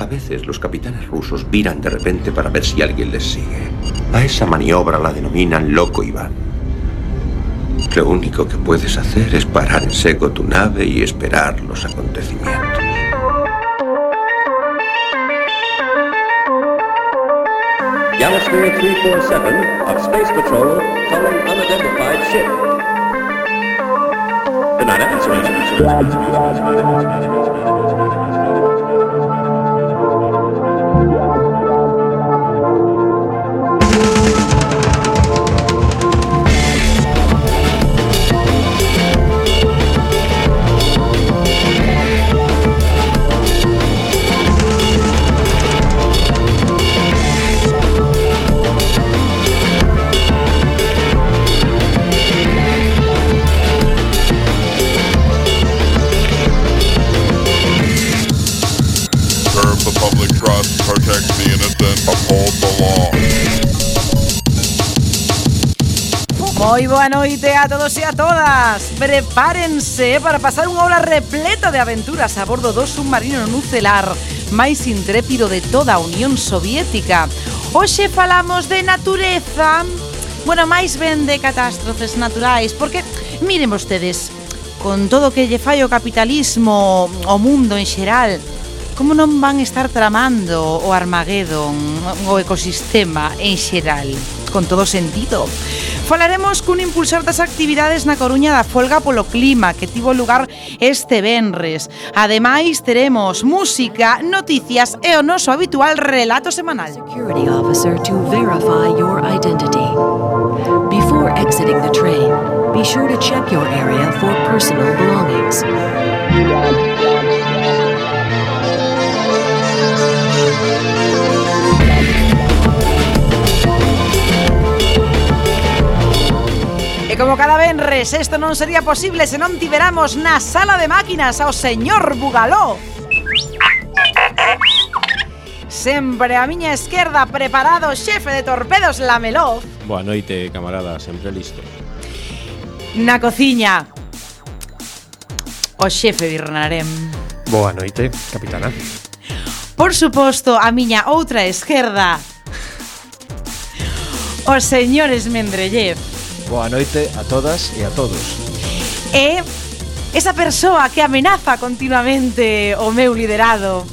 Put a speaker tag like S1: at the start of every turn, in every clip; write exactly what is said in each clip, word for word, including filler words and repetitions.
S1: veces los capitanes rusos viran de repente para ver si alguien les sigue. A esa maniobra la denominan Loco Iván. Lo único que puedes hacer es parar en seco tu nave y esperar los acontecimientos.
S2: Galasphere three forty-seven of Space Patrol calling unidentified ship. Good night,
S3: Protect the innocent, uphold the law.
S4: Moi boa noite a todos e a todas. Prepárense para pasar unha hora repleta de aventuras a bordo do submarino nucelar máis intrépido de toda a Unión Soviética. Hoxe falamos de natureza, bueno, máis ben de catástrofes naturais, porque miren vostedes, con todo o que lle fai o capitalismo, o mundo en xeral, como non van estar tramando o Armageddon, o ecosistema en xeral, con todo sentido. Falaremos cun impulsor das actividades na Coruña da folga polo clima que tivo lugar este venres. Ademais, teremos música, noticias e o noso habitual relato semanal.
S5: Security officer to verify your identity. Before exiting the train, be sure to check your area for personal belongings.
S4: E como cada venres, isto non sería posible se non tiveramos na sala de máquinas ao señor Bugaló. Sempre a miña esquerda preparado, xefe de torpedos Lameloz.
S6: Boa noite, camarada, sempre listo.
S4: Na cociña, o xefe Birnarem.
S7: Boa noite, capitana.
S4: Por suposto, a miña outra esquerda, o señor Esmendrellev.
S8: Boa noite a todas e a todos.
S4: E esa persoa que amenaza continuamente o meu liderado.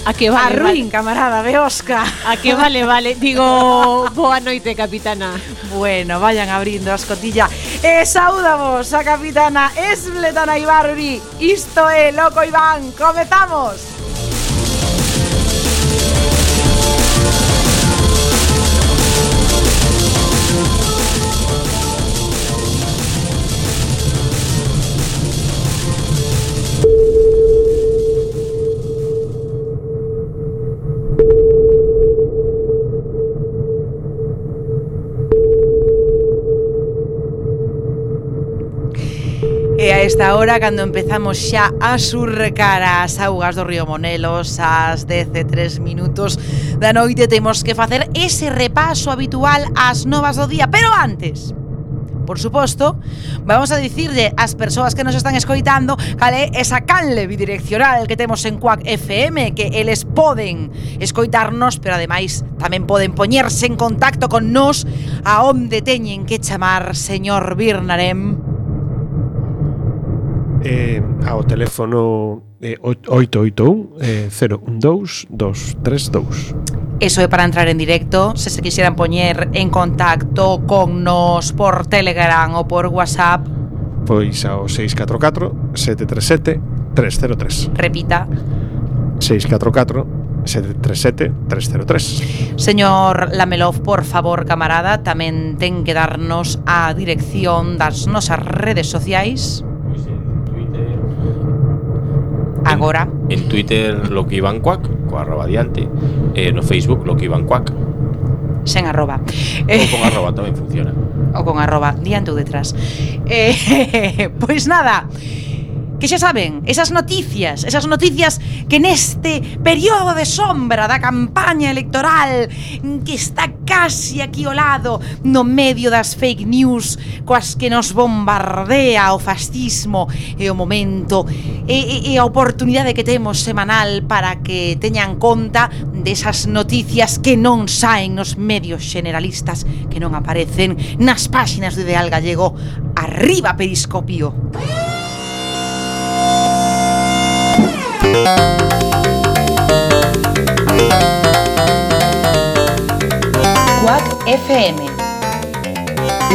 S9: A que vale,
S4: a ruín,
S9: vale.
S4: Camarada, Beosca.
S9: A que vale, vale. Digo, boa noite, capitana.
S4: Bueno, vayan abrindo a escotilla. E saúdamos a capitana Esbletana Ibarri. Isto é Loco Iván. Comezamos. E a esta hora, cando empezamos xa a surcar as augas do río Monelos, ás dez e tres minutos da noite, temos que facer ese repaso habitual ás novas do día. Pero antes, por suposto, vamos a dicirle ás persoas que nos están escoitando cal é esa canle bidireccional que temos en Quack F M, que eles poden escoitarnos, pero ademais tamén poden poñerse en contacto con nos a onde teñen que chamar, señor Birnarem.
S7: Eh, ao teléfono eh, oito oito un cero un dous dous tres dous.
S4: Eso é para entrar en directo. Se se quixeran poñer en contacto con nos por Telegram ou por WhatsApp,
S7: pois ao seis catro catro sete tres sete tres cero tres.
S4: Repita.
S7: seis catro catro sete tres sete tres cero tres.
S4: Señor Lamelov, por favor, camarada, tamén ten que darnos a dirección das nosas redes sociais. Agora.
S6: En, en Twitter lo que iban cuac, co arroba diante. E no Facebook lo que iban cuac.
S4: Sen arroba.
S6: Ou con arroba tamén funciona.
S4: Ou con arroba, diante ou detrás. Eh, pois nada, que xa saben, esas noticias, esas noticias que neste período de sombra da campaña electoral que está casi aquí ao lado, no medio das fake news coas que nos bombardea o fascismo, e o momento e, e, e a oportunidade que temos semanal para que teñan conta desas noticias que non saen nos medios generalistas, que non aparecen nas páxinas do Ideal Gallego. Arriba Periscopio. Quack F M,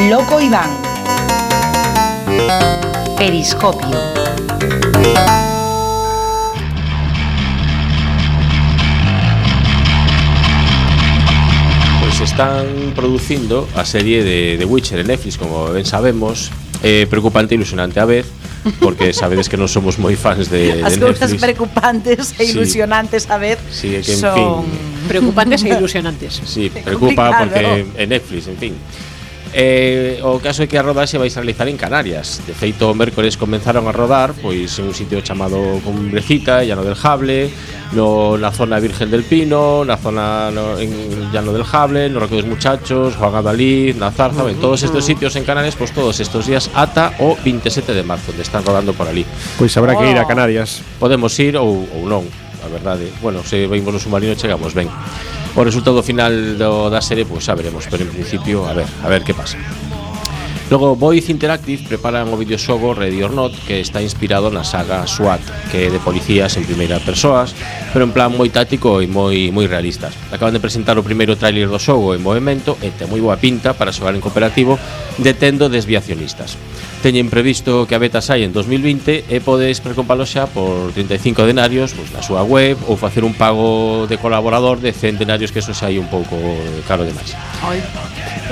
S4: Loco Iván, Periscopio.
S6: Pues están producindo a serie de The Witcher en Netflix, como ben sabemos, eh, preocupante e ilusionante a vez, porque sabedes que non somos moi fans de, de
S4: As
S6: Netflix.
S4: cousas preocupantes e ilusionantes sí. a vez
S6: sí, que, en
S4: son...
S6: fin,
S9: preocupantes e ilusionantes.
S6: Sí, preocupa
S4: complicado.
S6: porque en Netflix, en fin. Eh, o caso é que a rodaxe vai a realizar en Canarias. De feito, o mércores comenzaron a rodar pois en un sitio chamado Cumbrecita, Llano del Jable, no, na zona Virgen del Pino, na zona no, en Llano del Jable, no Roque dos Muchachos, Juan Adalid, na Zarza, uh -huh. en todos estes sitios en Canarias, pois todos estes días ata o veintisiete de marzo, onde están rodando por ali.
S7: Pois habrá
S4: oh.
S7: que ir a Canarias.
S6: Podemos ir ou, ou non, a verdade. Bueno, se vimos no submarino chegamos ben. O resultado final do, da serie, pois pues, a veremos, pero en principio, a ver, a ver que pasa. Logo, Voice Interactive preparan o videoxogo Ready or Not, que está inspirado na saga SWAT, que é de policías en primeira persoas, pero en plan moi táctico e moi moi realistas. Acaban de presentar o primeiro tráiler do xogo en movimento e ten moi boa pinta para xogar en cooperativo, detendo desviacionistas. Teñen previsto que a beta saia en dos mil vinte e podes precompalo xa por trinta e cinco denarios pois, na súa web ou facer un pago de colaborador de cen denarios, que eso xa é un pouco caro demais.
S4: Ai.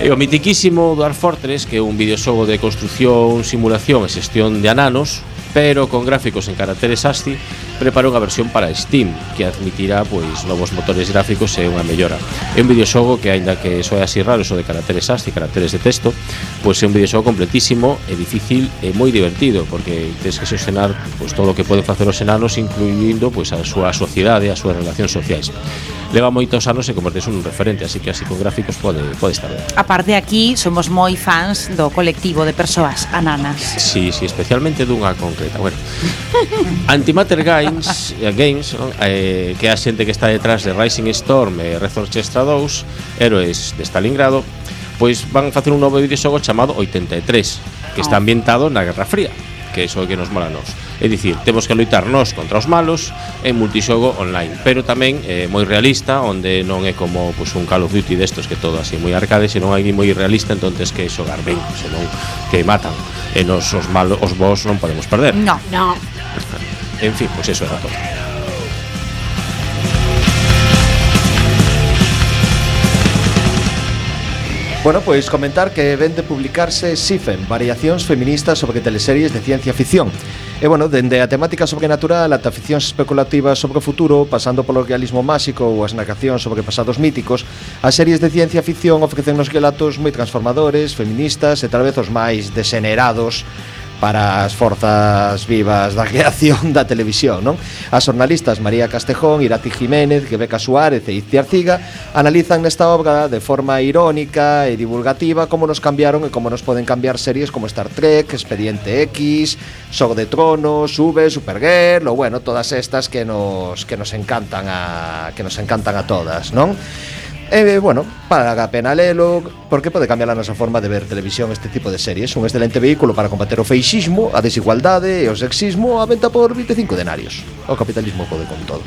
S6: E o mitiquísimo Dwarf Fortress, que é un videoxogo de construción, simulación e xestión de ananos, pero con gráficos en caracteres ASCII, preparou unha versión para Steam que admitirá pois novos motores gráficos e unha mellora. É un videoxogo que, aínda que soe así raro eso de caracteres ASCII, caracteres de texto, pois é un videoxogo completísimo e difícil e moi divertido, porque tens que xestionar pois todo o que poden facer os enanos, incluindo pois a súa sociedade, as súas relacións sociais. Leva moitos anos e convertese un referente, así que así con gráficos pode, pode estar ben.
S4: A parte de aquí, somos moi fans do colectivo de persoas ananas.
S6: Sí, sí, especialmente dunha concreta. Bueno, Antimatter Games, Games ¿no? eh, que é a xente que está detrás de Rising Storm e Red Orchestra dous, Héroes de Stalingrado, pois van facer un novo videoxogo chamado oitenta e tres, que está ambientado na Guerra Fría, que é iso que nos mola a nos. É dicir, temos que loitar nós contra os malos en multixogo online, pero tamén é moi realista, onde non é como pues, un Call of Duty destos que todo así moi arcade, senón hai moi realista, entonces que xogar ben, senón que matan. E nos os malos, os boss non podemos perder.
S4: No,
S9: no.
S6: En fin, pues eso era todo.
S8: Bueno, pois comentar que ven de publicarse SIFEM, Variacións Feministas sobre teleseries de ciencia ficción. E bueno, dende a temática sobrenatural ata ficcións especulativas sobre o futuro, pasando polo realismo máxico ou as narracións sobre pasados míticos, as series de ciencia ficción ofrecen nos relatos moi transformadores, feministas e tal vez os máis desenerados para as forzas vivas da creación da televisión, non? As xornalistas María Castejón, Irati Jiménez, Rebeca Suárez e Itzi Arciga analizan nesta obra de forma irónica e divulgativa como nos cambiaron e como nos poden cambiar series como Star Trek, Expediente X, Xogo de Tronos, V, Supergirl, ou bueno, todas estas que nos que nos encantan a que nos encantan a todas, non? E, bueno, paga a pena lelo, porque pode cambiar a nosa forma de ver televisión este tipo de series. Un excelente vehículo para combater o feixismo, a desigualdade e o sexismo, a venta por vinte e cinco denarios. O capitalismo pode con todo.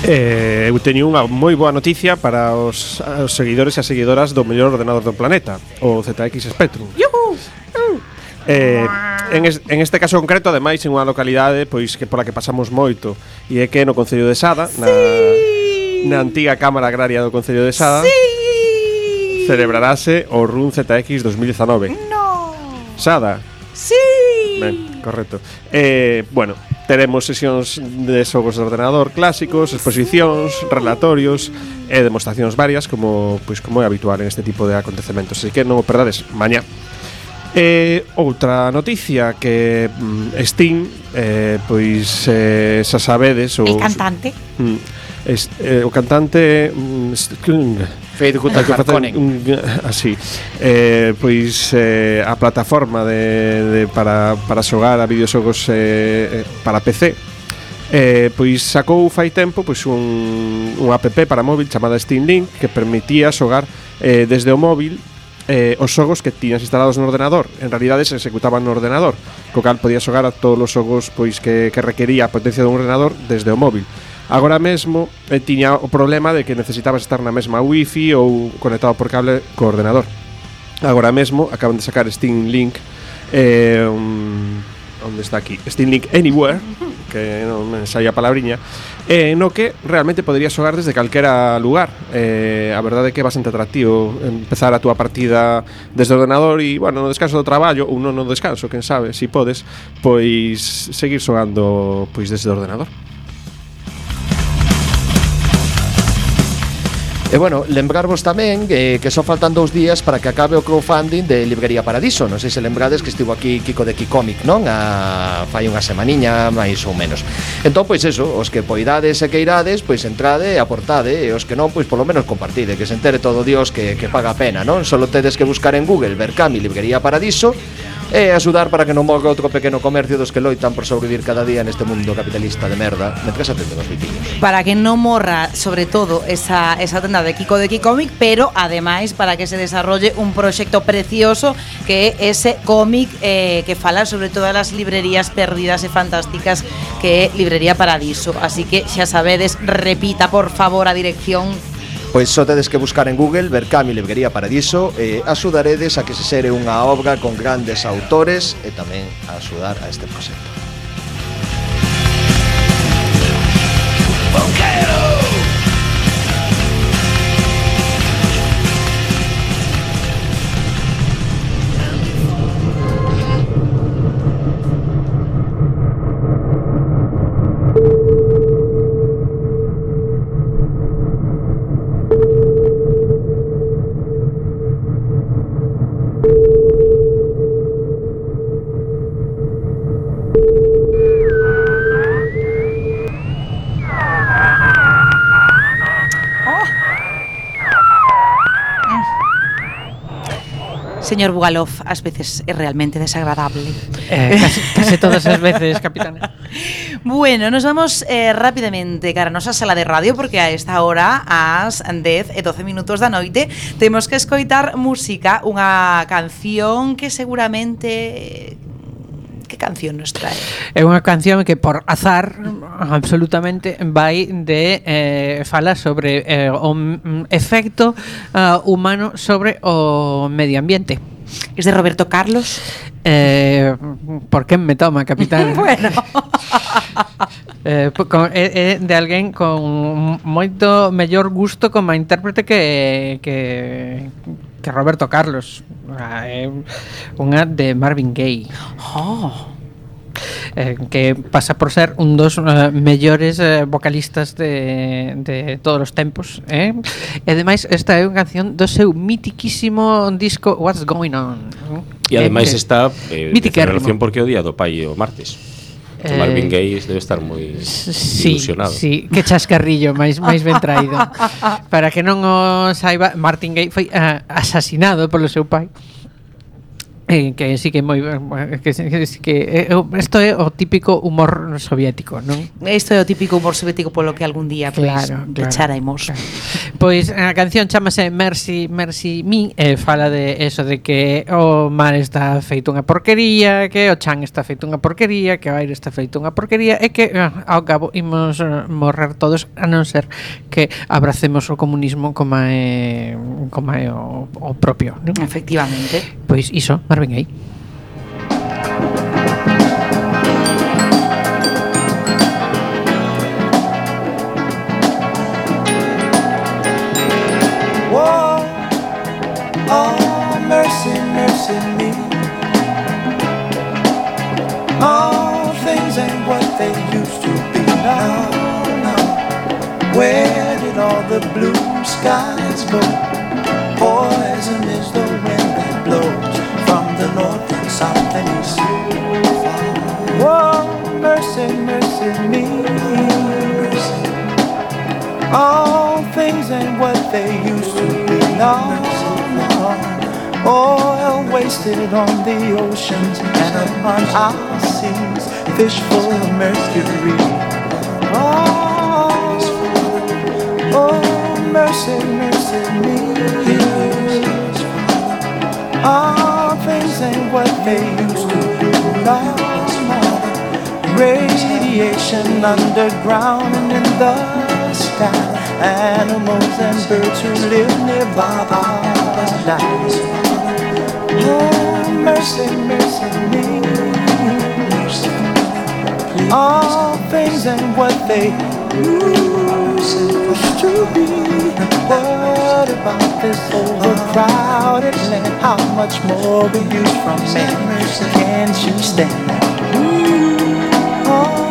S7: Eh, eu teño unha moi boa noticia para os, os seguidores e as seguidoras do mellor ordenador do planeta, o Z X Spectrum.
S4: Yuhu!
S7: Eh, en, es, en este caso concreto, ademais, en unha localidade pois que pola que pasamos moito, e é que no Concello de Sada, na,
S4: sí.
S7: na antiga Cámara Agraria do Concello de Sada,
S4: sí.
S7: celebrarase o RUN Z X dos mil dezanove.
S4: No.
S7: Sada.
S4: Sí.
S7: Ben, correcto. Eh, bueno, teremos sesións de xogos de ordenador clásicos, exposicións, relatorios e demostracións varias, como pois como é habitual en este tipo de acontecementos. Así que non o perdades mañá. E outra noticia que mm, Sting, eh, pois eh, xa sabedes o,
S4: El cantante
S7: mm, es, eh, o cantante mm,
S8: Federico Harkonnen
S7: así eh, pois eh, a plataforma de, de para, para xogar a videoxogos eh, para P C eh, pois sacou fai tempo pois un, un app para móvil chamada Steam Link que permitía xogar eh, desde o móvil Eh, os xogos que tiñas instalados no ordenador. En realidade se executaban no ordenador, co cal podías xogar a todos os xogos pois que, que requería a potencia dun ordenador desde o móvil. Agora mesmo eh, tiña o problema de que necesitabas estar na mesma wifi ou conectado por cable co ordenador. Agora mesmo acaban de sacar Steam Link eh, um, onde está aquí? Steam Link Anywhere, que non me saía a palabriña, eh, no que realmente poderías xogar desde calquera lugar. Eh, a verdade é que é bastante atractivo empezar a túa partida desde o ordenador e, bueno, no descanso do traballo ou non no descanso, quen sabe, si podes, pois seguir xogando pois desde o ordenador.
S8: E bueno, lembrarvos tamén eh, que só faltan dous días para que acabe o crowdfunding de Librería Paradiso. Non sei se lembrades que estivo aquí Kiko de Kikomic, non? A, fai unha semaniña, máis ou menos. Entón, pois eso, os que poidades e que irades, pois entrade e aportade, e os que non, pois polo menos compartide, que se entere todo Dios que, que paga a pena, non? Solo tedes que buscar en Google Berkami Librería Paradiso e axudar para que non morra outro pequeno comercio dos que loitan por sobrevivir cada día neste mundo capitalista de merda, mentres atenden os vitiños.
S4: Para que non morra, sobre todo, esa, esa tenda de Kiko de Kikomic, pero ademais para que se desarrolle un proxecto precioso que é ese cómic eh, que fala sobre todas as librerías perdidas e fantásticas que é Librería Paradiso. Así que xa sabedes, repita por favor a dirección.
S8: Pois só tedes que buscar en Google Berkami Librería Paradiso e axudaredes a que se xere unha obra con grandes autores e tamén a axudar a este proxecto.
S4: Señor Bugalov, ás veces é realmente desagradable.
S9: Eh, casi, casi todas as veces, capitana.
S4: Bueno, nos vamos eh, rapidamente cara a nosa sala de radio, porque a esta hora, ás dez e doce minutos da noite, temos que escoitar música, unha canción que seguramente... Que canción nos trae?
S9: É unha canción que por azar absolutamente vai de eh, fala sobre eh, o efecto uh, humano sobre o medio ambiente.
S4: Es de Roberto Carlos?
S9: Eh, por que me toma, capitán?
S4: Bueno.
S9: eh, con, é, é de alguén con moito mellor gusto como intérprete que que que Roberto Carlos. É unha de Marvin Gaye.
S4: Oh.
S9: Eh, que pasa por ser un dos uh, mellores uh, vocalistas de, de todos os tempos, eh? E ademais esta é unha canción do seu mitiquísimo disco What's Going On.
S6: E ademais
S9: eh,
S6: está eh, de celebración porque é o día do pai o martes. Eh, Marvin Gaye debe estar moi
S9: sí,
S6: ilusionado.
S9: Sí, que chascarrillo máis máis ben traído. Para que non o saiba, Martin Gaye foi uh, asasinado polo seu pai. Eh, que sí que moi que, que, que isto é o típico humor soviético, non?
S4: Isto é o típico humor soviético polo que algún día pois
S9: claro, claro,
S4: pecharemos.
S9: Claro. Pois a canción chamase Mercy Mercy Me, e eh, fala de eso de que o mar está feito unha porquería, que o chan está feito unha porquería, que o aire está feito unha porquería e que ao cabo imos morrer todos a non ser que abracemos o comunismo como é como é o, o propio, non?
S4: Efectivamente.
S9: Pois iso, Marvin Gaye.
S10: Whoa, oh, mercy, mercy me. All things ain't what they used to be now, now. Where did all the blue skies go? Poison is the wind that blows from the north All things ain't what they used to be. No, no. Oil wasted on the oceans and upon our seas, fish full of mercury. Oh, oh, mercy, mercy me. All things ain't what they used to be. No, no. Radiation underground and in the sky. Animals and birds who live nearby our lives. Oh, mercy, mercy me. All things ain't what they used to be. What about this overcrowded land? How much more we use from man? Can't you stand that? Oh,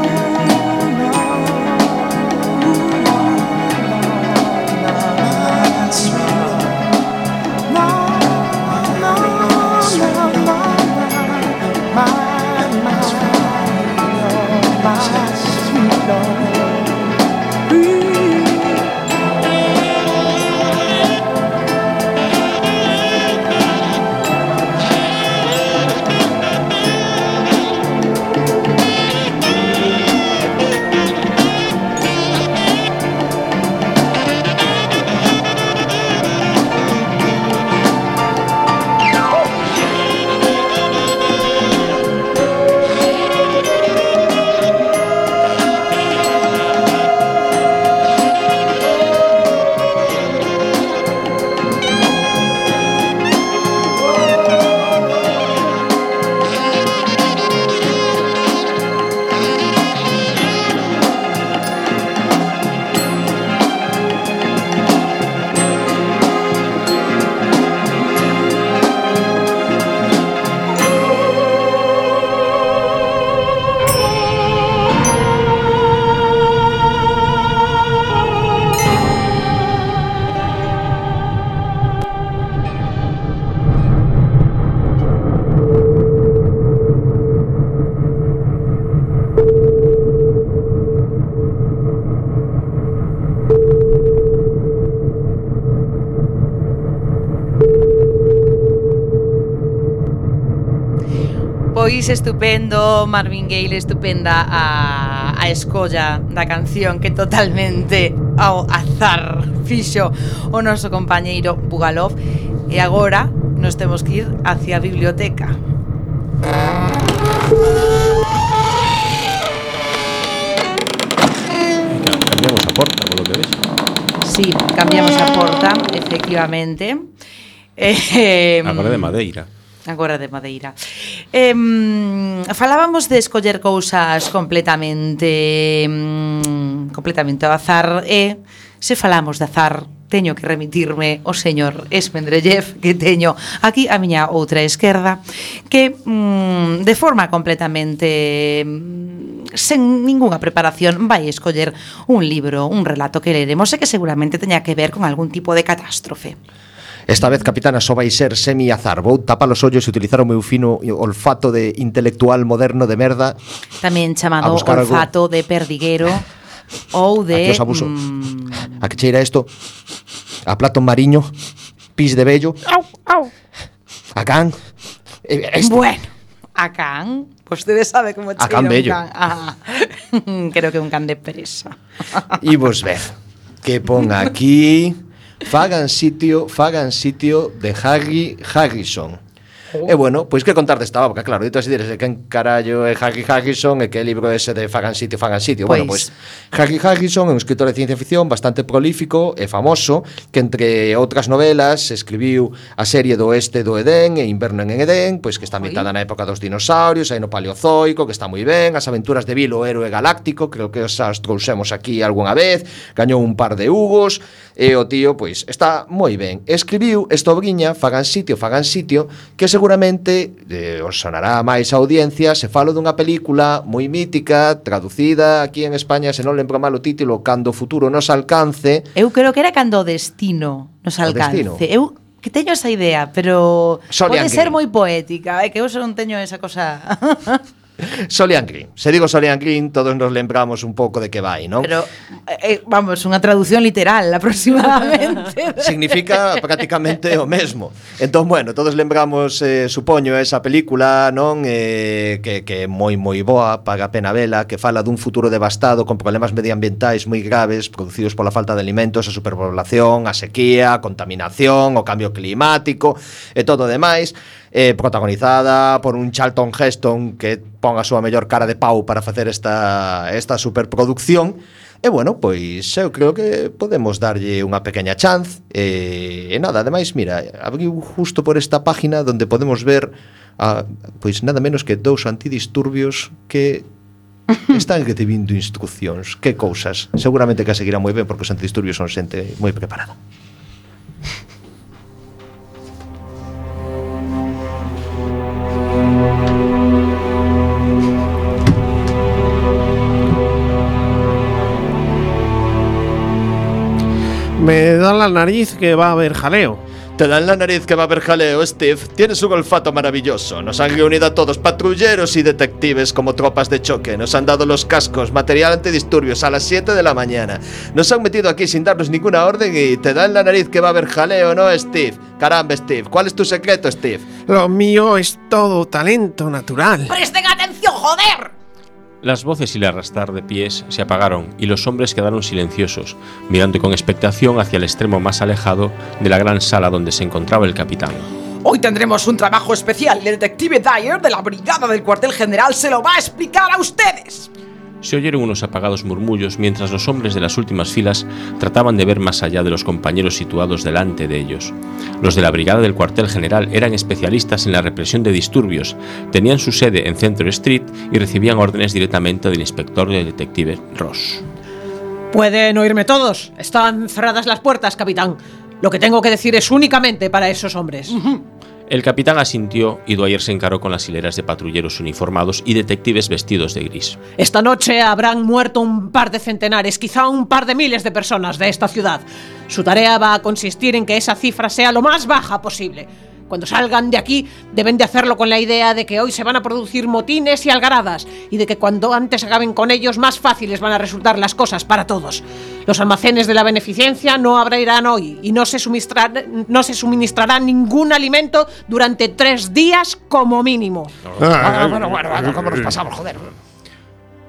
S4: Pois estupendo, Marvin Gaye, estupenda a, a escolla da canción que totalmente ao azar fixo o noso compañeiro Bugalov. E agora nos temos que ir hacia a biblioteca.
S6: Cambiamos a porta, por lo que ves.
S4: Sí, cambiamos a porta, efectivamente. Eh,
S6: Agora de madeira.
S4: Agora de madeira. Eh, falábamos de escoller cousas completamente mm, completamente ao azar e se falamos de azar teño que remitirme ao señor Esmendrellev, que teño aquí a miña outra esquerda, que mm, de forma completamente mm, sen ningunha preparación vai escoller un libro, un relato que leremos e que seguramente teña que ver con algún tipo de catástrofe.
S8: Esta vez, capitana, só vai ser semi-azar. Vou tapar os ollos e utilizar o meu fino olfato de intelectual moderno de merda.
S4: Tamén chamado olfato algo de perdiguero ou de...
S8: Aquí os abuso. Mm... A que cheira isto? A plato mariño, pis de vello.
S4: Au, au.
S8: A can.
S4: Este. Bueno, a can... Vostede sabe como cheira
S8: a can bello.
S4: Un can. Ah, creo que un can de presa.
S8: E vos ver, que pon aquí... Fagan sitio, fagan sitio de Harry Harrison. Oh. E bueno, pois que contar desta obra, claro, dito así dires, quen carallo é Harry Harrison e que libro ese de Fagan sitio, fagan sitio. Pues. Bueno, pois Harry Harrison é un escritor de ciencia ficción bastante prolífico e famoso, que entre outras novelas escribiu a serie do Oeste do Edén e Inverno en Edén, pois que está ambientada na época dos dinosaurios, aí no Paleozoico, que está moi ben, as aventuras de Bill, o héroe galáctico, creo que as trouxemos aquí algunha vez, gañou un par de Hugos, e o tío, pois, está moi ben. Escribiu esta obriña, Fagan sitio, fagan sitio, que seguramente eh, os sonará máis a audiencia se falo dunha película moi mítica, traducida aquí en España, se non lembro mal o título, Cando o futuro nos alcance.
S4: Eu creo que era Cando o destino nos alcance. Destino. Eu que teño esa idea, pero Solian pode ser moi poética, é que eu non teño esa cosa.
S8: Solian Green. Se digo Solian Green, todos nos lembramos un pouco de que vai, non?
S4: Pero, eh, vamos, unha traducción literal aproximadamente.
S8: Significa prácticamente o mesmo. Entón, bueno, todos lembramos, eh, supoño, esa película, non? Eh, que, que é moi, moi boa, paga a pena vela, que fala dun futuro devastado con problemas medioambientais moi graves producidos pola falta de alimentos, a superpoblación, a sequía, a contaminación, o cambio climático e todo o demais. Eh, protagonizada por un Charlton Heston que pon a súa mellor cara de pau para facer esta, esta superproducción. E bueno, pois eu creo que podemos darlle unha pequeña chance. E, e nada, ademais, mira, abriu justo por esta página donde podemos ver a, pois nada menos que dous antidisturbios que están recibindo instruccións. Que cousas. Seguramente que a seguirá moi ben porque os antidisturbios son xente moi preparada.
S7: Me da la nariz que va a haber jaleo.
S8: Te dan la nariz que va a haber jaleo, Steve. Tienes un olfato maravilloso. Nos han reunido a todos, patrulleros y detectives como tropas de choque. Nos han dado los cascos, material antidisturbios a las siete de la mañana. Nos han metido aquí sin darnos ninguna orden y te dan la nariz que va a haber jaleo, ¿no, Steve? Caramba, Steve. ¿Cuál es tu secreto, Steve?
S7: Lo mío es todo talento natural.
S4: ¡Presten atención, joder!
S6: Las voces y el arrastrar de pies se apagaron y los hombres quedaron silenciosos, mirando con expectación hacia el extremo más alejado de la gran sala donde se encontraba el capitán.
S4: Hoy tendremos un trabajo especial. El detective Dyer de la brigada del cuartel general se lo va a explicar a ustedes.
S6: Se oyeron unos apagados murmullos mientras los hombres de las últimas filas trataban de ver más allá de los compañeros situados delante de ellos. Los de la brigada del cuartel general eran especialistas en la represión de disturbios, tenían su sede en Central Street y recibían órdenes directamente del inspector del detective Ross.
S9: Pueden oírme todos. Están cerradas las puertas, capitán. Lo que tengo que decir es únicamente para esos hombres.
S6: El capitán asintió y Dwyer se encaró con las hileras de patrulleros uniformados y detectives vestidos de gris.
S9: Esta noche habrán muerto un par de centenares, quizá un par de miles de personas de esta ciudad. Su tarea va a consistir en que esa cifra sea lo más baja posible. Cuando salgan de aquí, deben de hacerlo con la idea de que hoy se van a producir motines y algaradas, y de que cuando antes acaben con ellos, más fáciles van a resultar las cosas para todos. Los almacenes de la beneficencia no abrirán hoy, y no se suministrará, no se suministrará ningún alimento durante tres días como mínimo.
S8: Ah, bueno, bueno, bueno, ¿cómo nos pasamos, joder?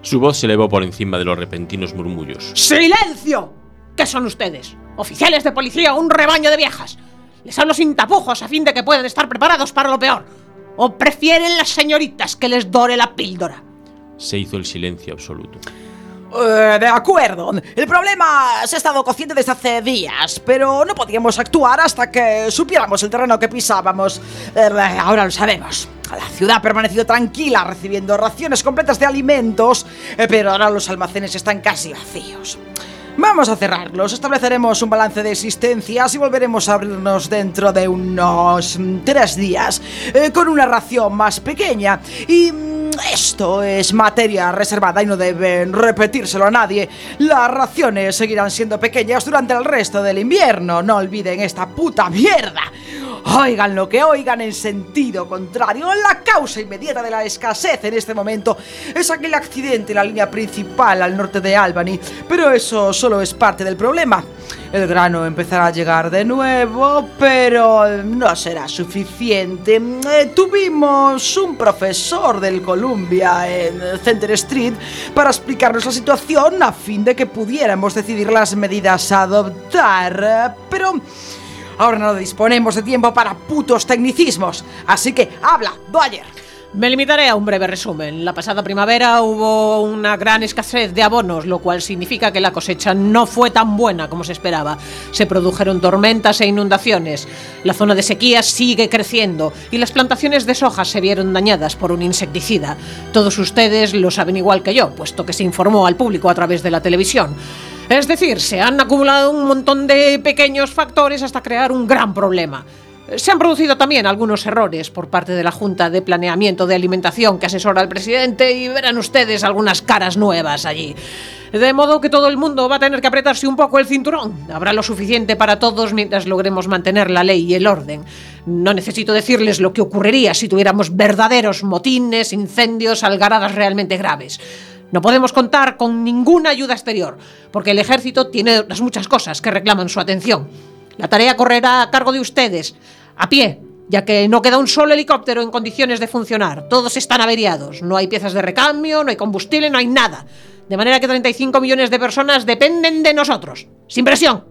S6: Su voz se elevó por encima de los repentinos murmullos.
S9: ¡Silencio! ¿Qué son ustedes? ¿Oficiales de policía o un rebaño de viejas? Les hablo sin tapujos a fin de que puedan estar preparados para lo peor. ¿O prefieren las señoritas que les dore la píldora?
S6: Se hizo el silencio absoluto.
S4: Uh, de acuerdo. El problema se ha estado cociendo desde hace días, pero no podíamos actuar hasta que supiéramos el terreno que pisábamos. Uh, ahora lo sabemos. La ciudad ha permanecido tranquila recibiendo raciones completas de alimentos, eh, pero ahora los almacenes están casi vacíos. Vamos a cerrarlos, estableceremos un balance de existencias y volveremos a abrirnos dentro de unos tres días, eh, con una ración más pequeña. Y mm, esto es materia reservada y no deben repetírselo a nadie. Las raciones seguirán siendo pequeñas durante el resto del invierno. No olviden esta puta mierda. Oigan lo que oigan en sentido contrario. La causa inmediata de la escasez en este momento es aquel accidente en la línea principal al norte de Albany, pero eso solo es parte del problema. El grano empezará a llegar de nuevo, pero no será suficiente. Eh, tuvimos un profesor del Columbia en Center Street para explicarnos la situación a fin de que pudiéramos decidir las medidas a adoptar, pero ahora no disponemos de tiempo para putos tecnicismos, así que habla, Dwyer.
S9: Me limitaré a un breve resumen. La pasada primavera hubo una gran escasez de abonos, lo cual significa que la cosecha no fue tan buena como se esperaba. Se produjeron tormentas e inundaciones. La zona de sequía sigue creciendo y las plantaciones de soja se vieron dañadas por un insecticida. Todos ustedes lo saben igual que yo, puesto que se informó al público a través de la televisión. Es decir, se han acumulado un montón de pequeños factores hasta crear un gran problema.
S11: Se han producido también algunos errores por parte de la Junta de Planeamiento de Alimentación que asesora al presidente y verán ustedes algunas caras nuevas allí. De modo que todo el mundo va a tener que apretarse un poco el cinturón. Habrá lo suficiente para todos mientras logremos mantener la ley y el orden. No necesito decirles lo que ocurriría si tuviéramos verdaderos motines, incendios, algaradas realmente graves. No podemos contar con ninguna ayuda exterior, porque el ejército tiene otras muchas cosas que reclaman su atención. La tarea correrá a cargo de ustedes, a pie, ya que no queda un solo helicóptero en condiciones de funcionar. Todos están averiados, no hay piezas de recambio, no hay combustible, no hay nada. De manera que treinta y cinco millones de personas dependen de nosotros. Sin presión.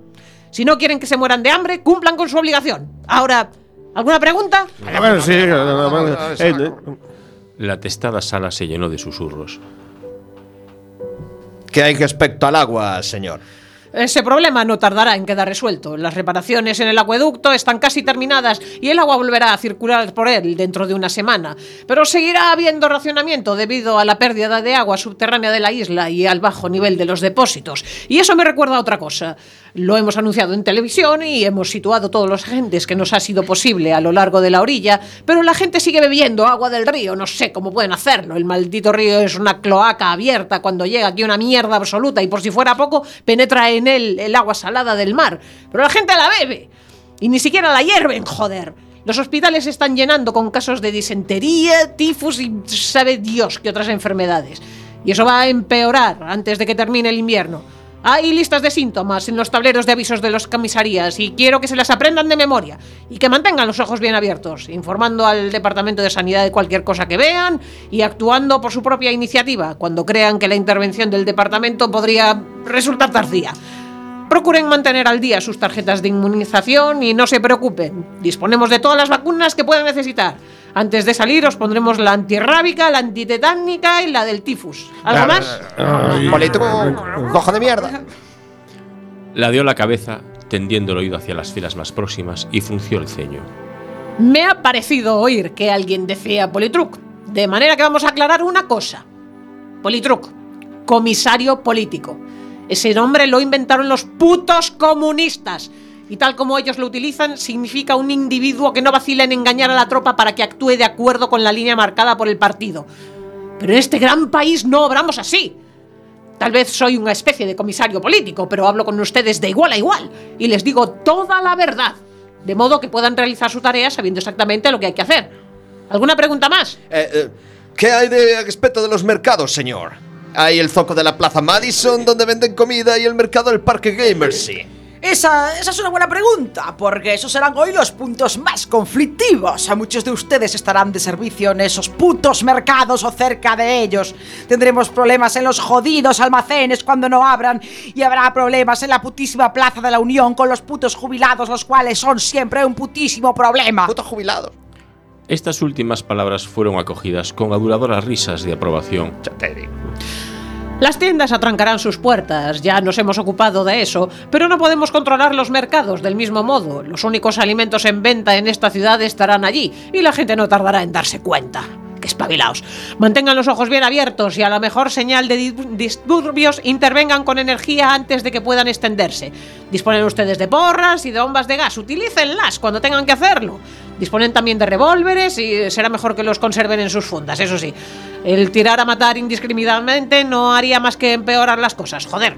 S11: Si no quieren que se mueran de hambre, cumplan con su obligación. Ahora, ¿alguna pregunta?
S7: Bueno, sí, eh,
S6: La atestada sala se llenó de susurros.
S8: ¿Qué hay respecto al agua, señor?
S11: Ese problema no tardará en quedar resuelto. Las reparaciones en el acueducto están casi terminadas y el agua volverá a circular por él dentro de una semana. Pero seguirá habiendo racionamiento debido a la pérdida de agua subterránea de la isla y al bajo nivel de los depósitos. Y eso me recuerda a otra cosa. Lo hemos anunciado en televisión y hemos situado todos los agentes que nos ha sido posible a lo largo de la orilla, pero la gente sigue bebiendo agua del río. No sé cómo pueden hacerlo. El maldito río es una cloaca abierta cuando llega aquí una mierda absoluta y por si fuera poco penetra en él el agua salada del mar. Pero la gente la bebe y ni siquiera la hierven, joder. Los hospitales se están llenando con casos de disentería, tifus y sabe Dios qué otras enfermedades. Y eso va a empeorar antes de que termine el invierno. Hay listas de síntomas en los tableros de avisos de las comisarías y quiero que se las aprendan de memoria y que mantengan los ojos bien abiertos, informando al Departamento de Sanidad de cualquier cosa que vean y actuando por su propia iniciativa cuando crean que la intervención del departamento podría resultar tardía. Procuren mantener al día sus tarjetas de inmunización y no se preocupen. Disponemos de todas las vacunas que puedan necesitar. Antes de salir os pondremos la antirrábica, la antitetánica y la del tifus. ¿Algo más?
S8: Político, cojo de mierda.
S6: Ladeó la cabeza, tendiendo el oído hacia las filas más próximas y frunció el ceño.
S11: Me ha parecido oír que alguien decía Politruc. De manera que vamos a aclarar una cosa. Politruc, comisario político. Ese nombre lo inventaron los putos comunistas. Y tal como ellos lo utilizan, significa un individuo que no vacila en engañar a la tropa para que actúe de acuerdo con la línea marcada por el partido. Pero en este gran país no obramos así. Tal vez soy una especie de comisario político, pero hablo con ustedes de igual a igual y les digo toda la verdad, de modo que puedan realizar su tarea sabiendo exactamente lo que hay que hacer. ¿Alguna pregunta más?
S8: Eh, eh, ¿Qué hay de respecto de los mercados, señor? Hay el zoco de la Plaza Madison, donde venden comida, y el mercado del Parque Gramercy.
S12: Esa, esa es una buena pregunta, porque esos serán hoy los puntos más conflictivos. A muchos de ustedes estarán de servicio en esos putos mercados o cerca de ellos. Tendremos problemas en los jodidos almacenes cuando no abran, y habrá problemas en la putísima Plaza de la Unión con los putos jubilados, los cuales son siempre un putísimo problema.
S8: Putos jubilados.
S6: Estas últimas palabras fueron acogidas con aduladoras risas de aprobación.
S11: Las tiendas atrancarán sus puertas, ya nos hemos ocupado de eso, pero no podemos controlar los mercados del mismo modo. Los únicos alimentos en venta en esta ciudad estarán allí y la gente no tardará en darse cuenta. ¡Qué espabilaos! Mantengan los ojos bien abiertos y a la mejor señal de disturbios intervengan con energía antes de que puedan extenderse. Disponen ustedes de porras y de bombas de gas, utilícenlas cuando tengan que hacerlo. Disponen también de revólveres y será mejor que los conserven en sus fundas, eso sí. El tirar a matar indiscriminadamente no haría más que empeorar las cosas, joder.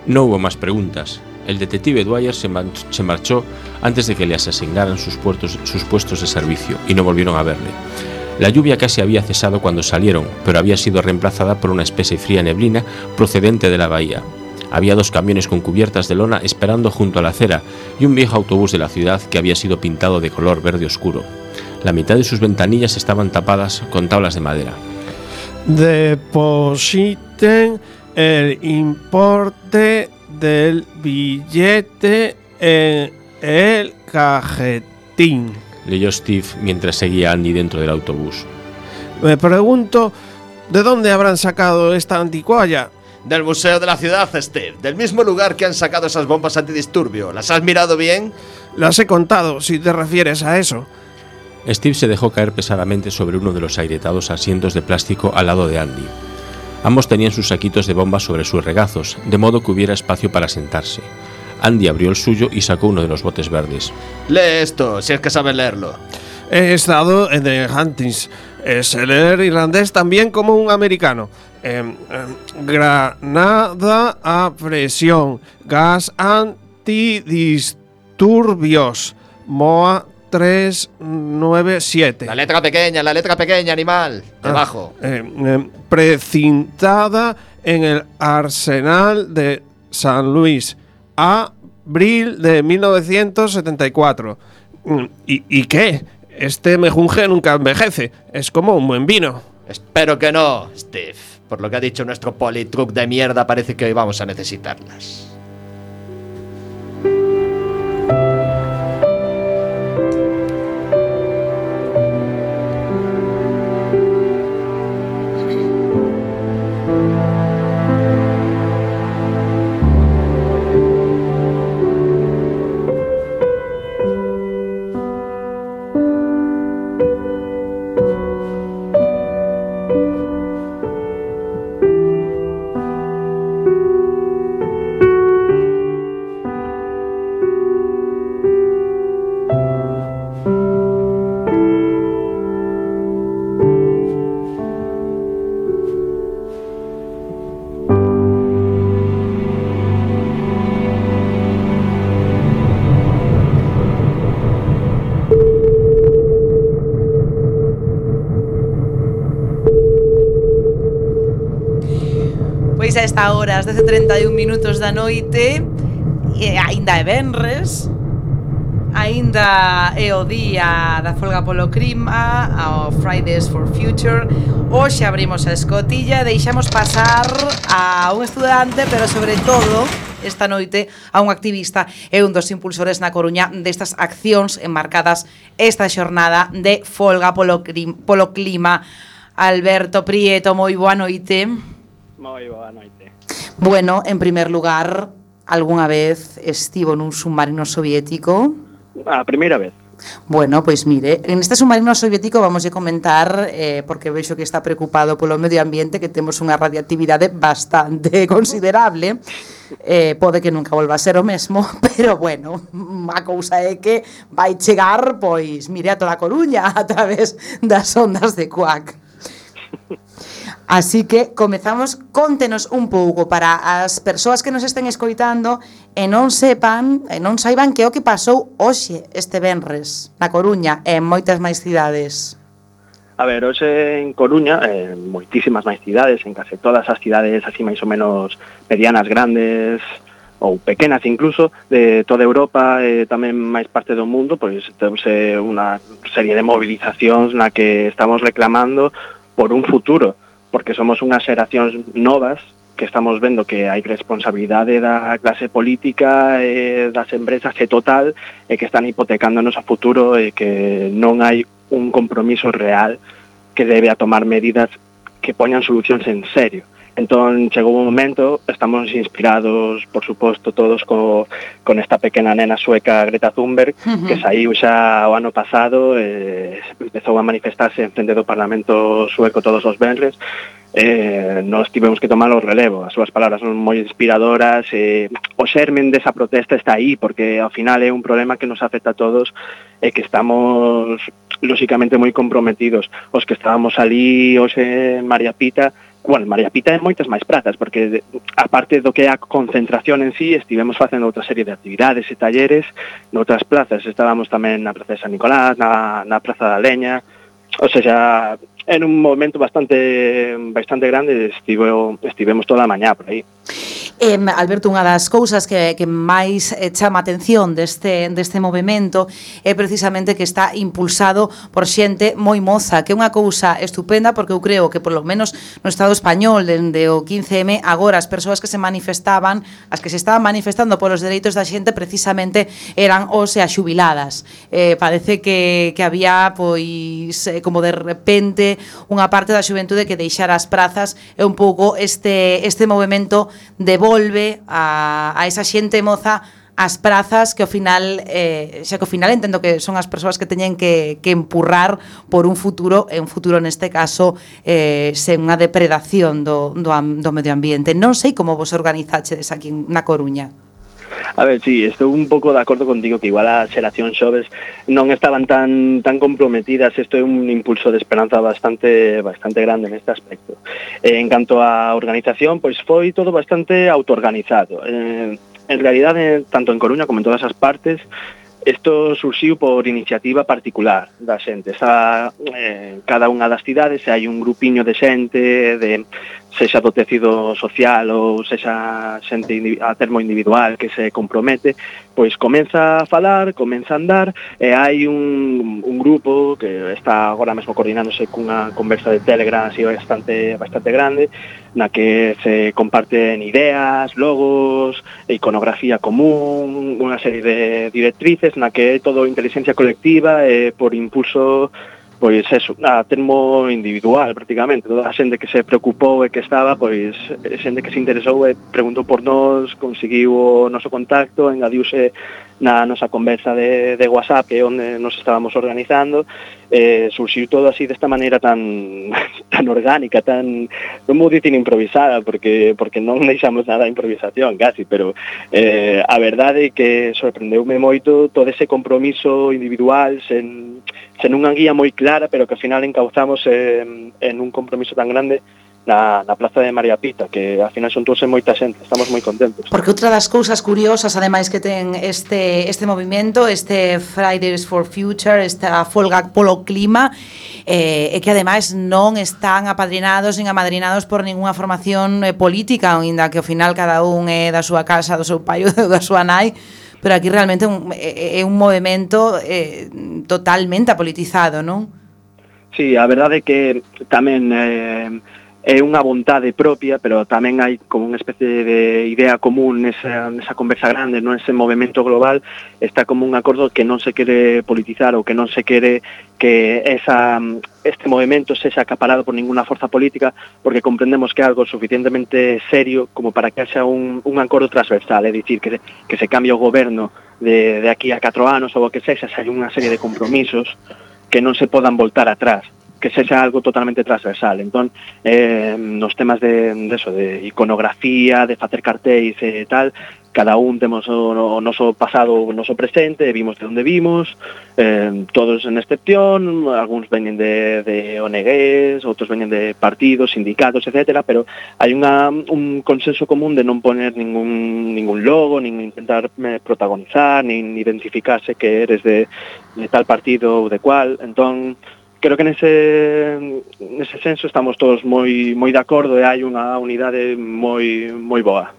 S6: No hubo más preguntas. El detective Dwyer se, man- se marchó antes de que le asignaran sus, puertos, sus puestos de servicio y no volvieron a verle. La lluvia casi había cesado cuando salieron, pero había sido reemplazada por una especie de fría neblina procedente de la bahía. Había dos camiones con cubiertas de lona esperando junto a la acera y un viejo autobús de la ciudad que había sido pintado de color verde oscuro. La mitad de sus ventanillas estaban tapadas con tablas de madera.
S7: Depositen el importe del billete en el cajetín.
S6: Leyó Steve mientras seguía a Andy dentro del autobús.
S7: Me pregunto, ¿de dónde habrán sacado esta anticualla?
S8: Del museo de la ciudad, Steve. Del mismo lugar que han sacado esas bombas antidisturbio. ¿Las has mirado bien?
S7: Las he contado, si te refieres a eso.
S6: Steve se dejó caer pesadamente sobre uno de los agrietados asientos de plástico al lado de Andy. Ambos tenían sus saquitos de bombas sobre sus regazos, de modo que hubiera espacio para sentarse. Andy abrió el suyo y sacó uno de los botes verdes.
S8: Lee esto, si es que sabes leerlo.
S7: He estado en The Huntings. Sé leer irlandés también como un americano. Eh, eh, granada a presión. Gas antidisturbios. M O A tres nueve siete.
S8: La letra pequeña, la letra pequeña, animal. Debajo.
S7: Ah, eh, eh, precintada en el Arsenal de San Luis. Abril de mil novecientos setenta y cuatro. ¿Y, ¿Y qué? Este mejunje nunca envejece. Es como un buen vino.
S8: Espero que no, Steve. Por lo que ha dicho nuestro politruc de mierda, parece que hoy vamos a necesitarlas.
S4: Pois a esta hora, as dez e trinta e un minutos da noite, e aínda é venres, aínda é o día da folga polo clima, ao Fridays for Future. Hoxe abrimos a escotilla e deixamos pasar a un estudante, pero sobre todo esta noite a un activista e un dos impulsores na Coruña destas accións enmarcadas esta xornada de folga polo, clim, polo clima. Alberto Prieto, moi boa noite.
S13: Moi boa noite.
S4: Bueno, en primer lugar, algunha vez estivo nun submarino soviético?
S13: A primeira vez.
S4: Bueno, pois mire, en este submarino soviético vamos a comentar, eh, porque vexo que está preocupado polo medio ambiente, que temos unha radiactividade bastante considerable. Eh, pode que nunca volva a ser o mesmo, pero bueno, a cousa é que vai chegar, pois, mire, a toda a Coruña a través das ondas de Cuac. Así que comezamos, contenos un pouco para as persoas que nos estén escoitando e non sepan, e non saiban que o que pasou hoxe este venres na Coruña e en moitas máis cidades.
S13: A ver, hoxe en Coruña, en moitísimas máis cidades, en case todas as cidades así máis ou menos medianas, grandes ou pequenas incluso, de toda Europa e tamén máis parte do mundo, pois temos unha serie de movilizacións na que estamos reclamando por un futuro, porque somos unhas xeracións novas que estamos vendo que hai responsabilidade da clase política e das empresas e total e que están hipotecando o noso futuro e que non hai un compromiso real que debe a tomar medidas que poñan solucións en serio. Entón, chegou un momento, estamos inspirados, por suposto, todos co, con esta pequena nena sueca Greta Thunberg, uh-huh. que saiu xa o ano pasado, eh, empezou a manifestarse en frente do Parlamento sueco todos os venres, eh, nós tivemos que tomar o relevo. As súas palabras son moi inspiradoras, eh, o xermen desa protesta está aí, porque ao final é un problema que nos afecta a todos e que estamos, lóxicamente, moi comprometidos. Os que estábamos ali hoxe en María Pita, bueno, María Pita é moitas máis prazas, porque aparte do que é a concentración en sí, estivemos facendo outra serie de actividades e talleres noutras plazas. Estábamos tamén na Praza de San Nicolás, na, na Praza da Leña, ou seja, en un momento bastante bastante grande, estivo, estivemos toda a mañá por aí.
S4: Eh, Alberto, unha das cousas que, que máis eh, chama a atención deste, deste movimento é precisamente que está impulsado por xente moi moza, que é unha cousa estupenda, porque eu creo que polo menos no Estado español dende o quince eme agora as persoas que se manifestaban, as que se estaban manifestando polos dereitos da xente precisamente eran os e as xubiladas. Eh, parece que, que había pois eh, como de repente unha parte da xuventude que deixara as prazas e un pouco este, este movimento devolve a, a esa xente moza as prazas que ao final eh, xa que ao final entendo que son as persoas que teñen que, que empurrar por un futuro, e un futuro neste caso eh, sen unha depredación do, do, do medio ambiente. Non sei como vos organizachedes aquí na Coruña.
S13: A ver, sí, estou un pouco de acordo contigo que igual as xeracións xoves non estaban tan tan comprometidas. Isto é un impulso de esperanza bastante bastante grande neste aspecto. Eh, en canto á organización, pois foi todo bastante autoorganizado. Eh, en realidade, tanto en Coruña como en todas as partes, isto surxiu por iniciativa particular da xente. Está, eh, cada unha das cidades hai un grupiño de xente, de sexa do tecido social ou sexa xente a termo individual que se compromete, pois comeza a falar, comeza a andar, e hai un, un grupo que está agora mesmo coordinándose cunha conversa de Telegram así bastante, bastante grande, na que se comparten ideas, logos, iconografía común, unha serie de directrices na que é todo inteligencia colectiva e por impulso, pois eso, a termo individual prácticamente. Toda a xente que se preocupou e que estaba, pois xente que se interesou e preguntou por nós, conseguiu o noso contacto, engadiuse na nosa conversa de, de WhatsApp, que é onde nos estábamos organizando, eh, surxiu todo así desta maneira tan tan orgánica, tan, non vou dicir improvisada, porque porque non deixamos nada de improvisación, casi, pero eh, a verdade é que sorprendeume moito todo ese compromiso individual, sen, sen unha guía moi clara, pero que ao final encauzamos en, en un compromiso tan grande na, na Plaza de María Pita, que ao final son todos moita xente, estamos moi contentos.
S12: Porque outra das cousas curiosas, ademais, que ten este este movimento, este Fridays for Future, esta folga polo clima, eh, é que ademais non están apadrinados nin amadrinados por ningunha formación eh, política, ainda que ao final cada un é da súa casa, do seu pai ou da súa nai, pero aquí realmente un, é, é un movimento eh, totalmente apolitizado, non?
S13: Sí, a verdade é que tamén eh, é unha vontade propia, pero tamén hai como unha especie de idea común nesa, nesa conversa grande, nese movimento global, está como un acordo que non se quere politizar ou que non se quere que esa, este movimento sexa acaparado por ninguna forza política, porque comprendemos que é algo suficientemente serio como para que haxa un, un acordo transversal, é dicir, que, que se cambie o goberno de, de aquí a catro anos ou o que sexa, se hai unha serie de compromisos que non se podan voltar atrás, que sexa algo totalmente transversal. Entón, eh, nos temas de, de eso, de iconografía, de facer cartéis e tal, cada un temos o, o noso pasado, o noso presente, vimos de onde vimos, eh, todos en excepción, algúns veñen de, de O N Gs, outros veñen de partidos, sindicatos, etcétera, pero hai unha, un consenso común de non poner ningún, ningún logo, nin intentar eh, protagonizar, nin identificarse que eres de, de tal partido ou de cual. Entón, creo que nese, nese senso estamos todos moi moi de acordo e hai unha unidade moi moi boa.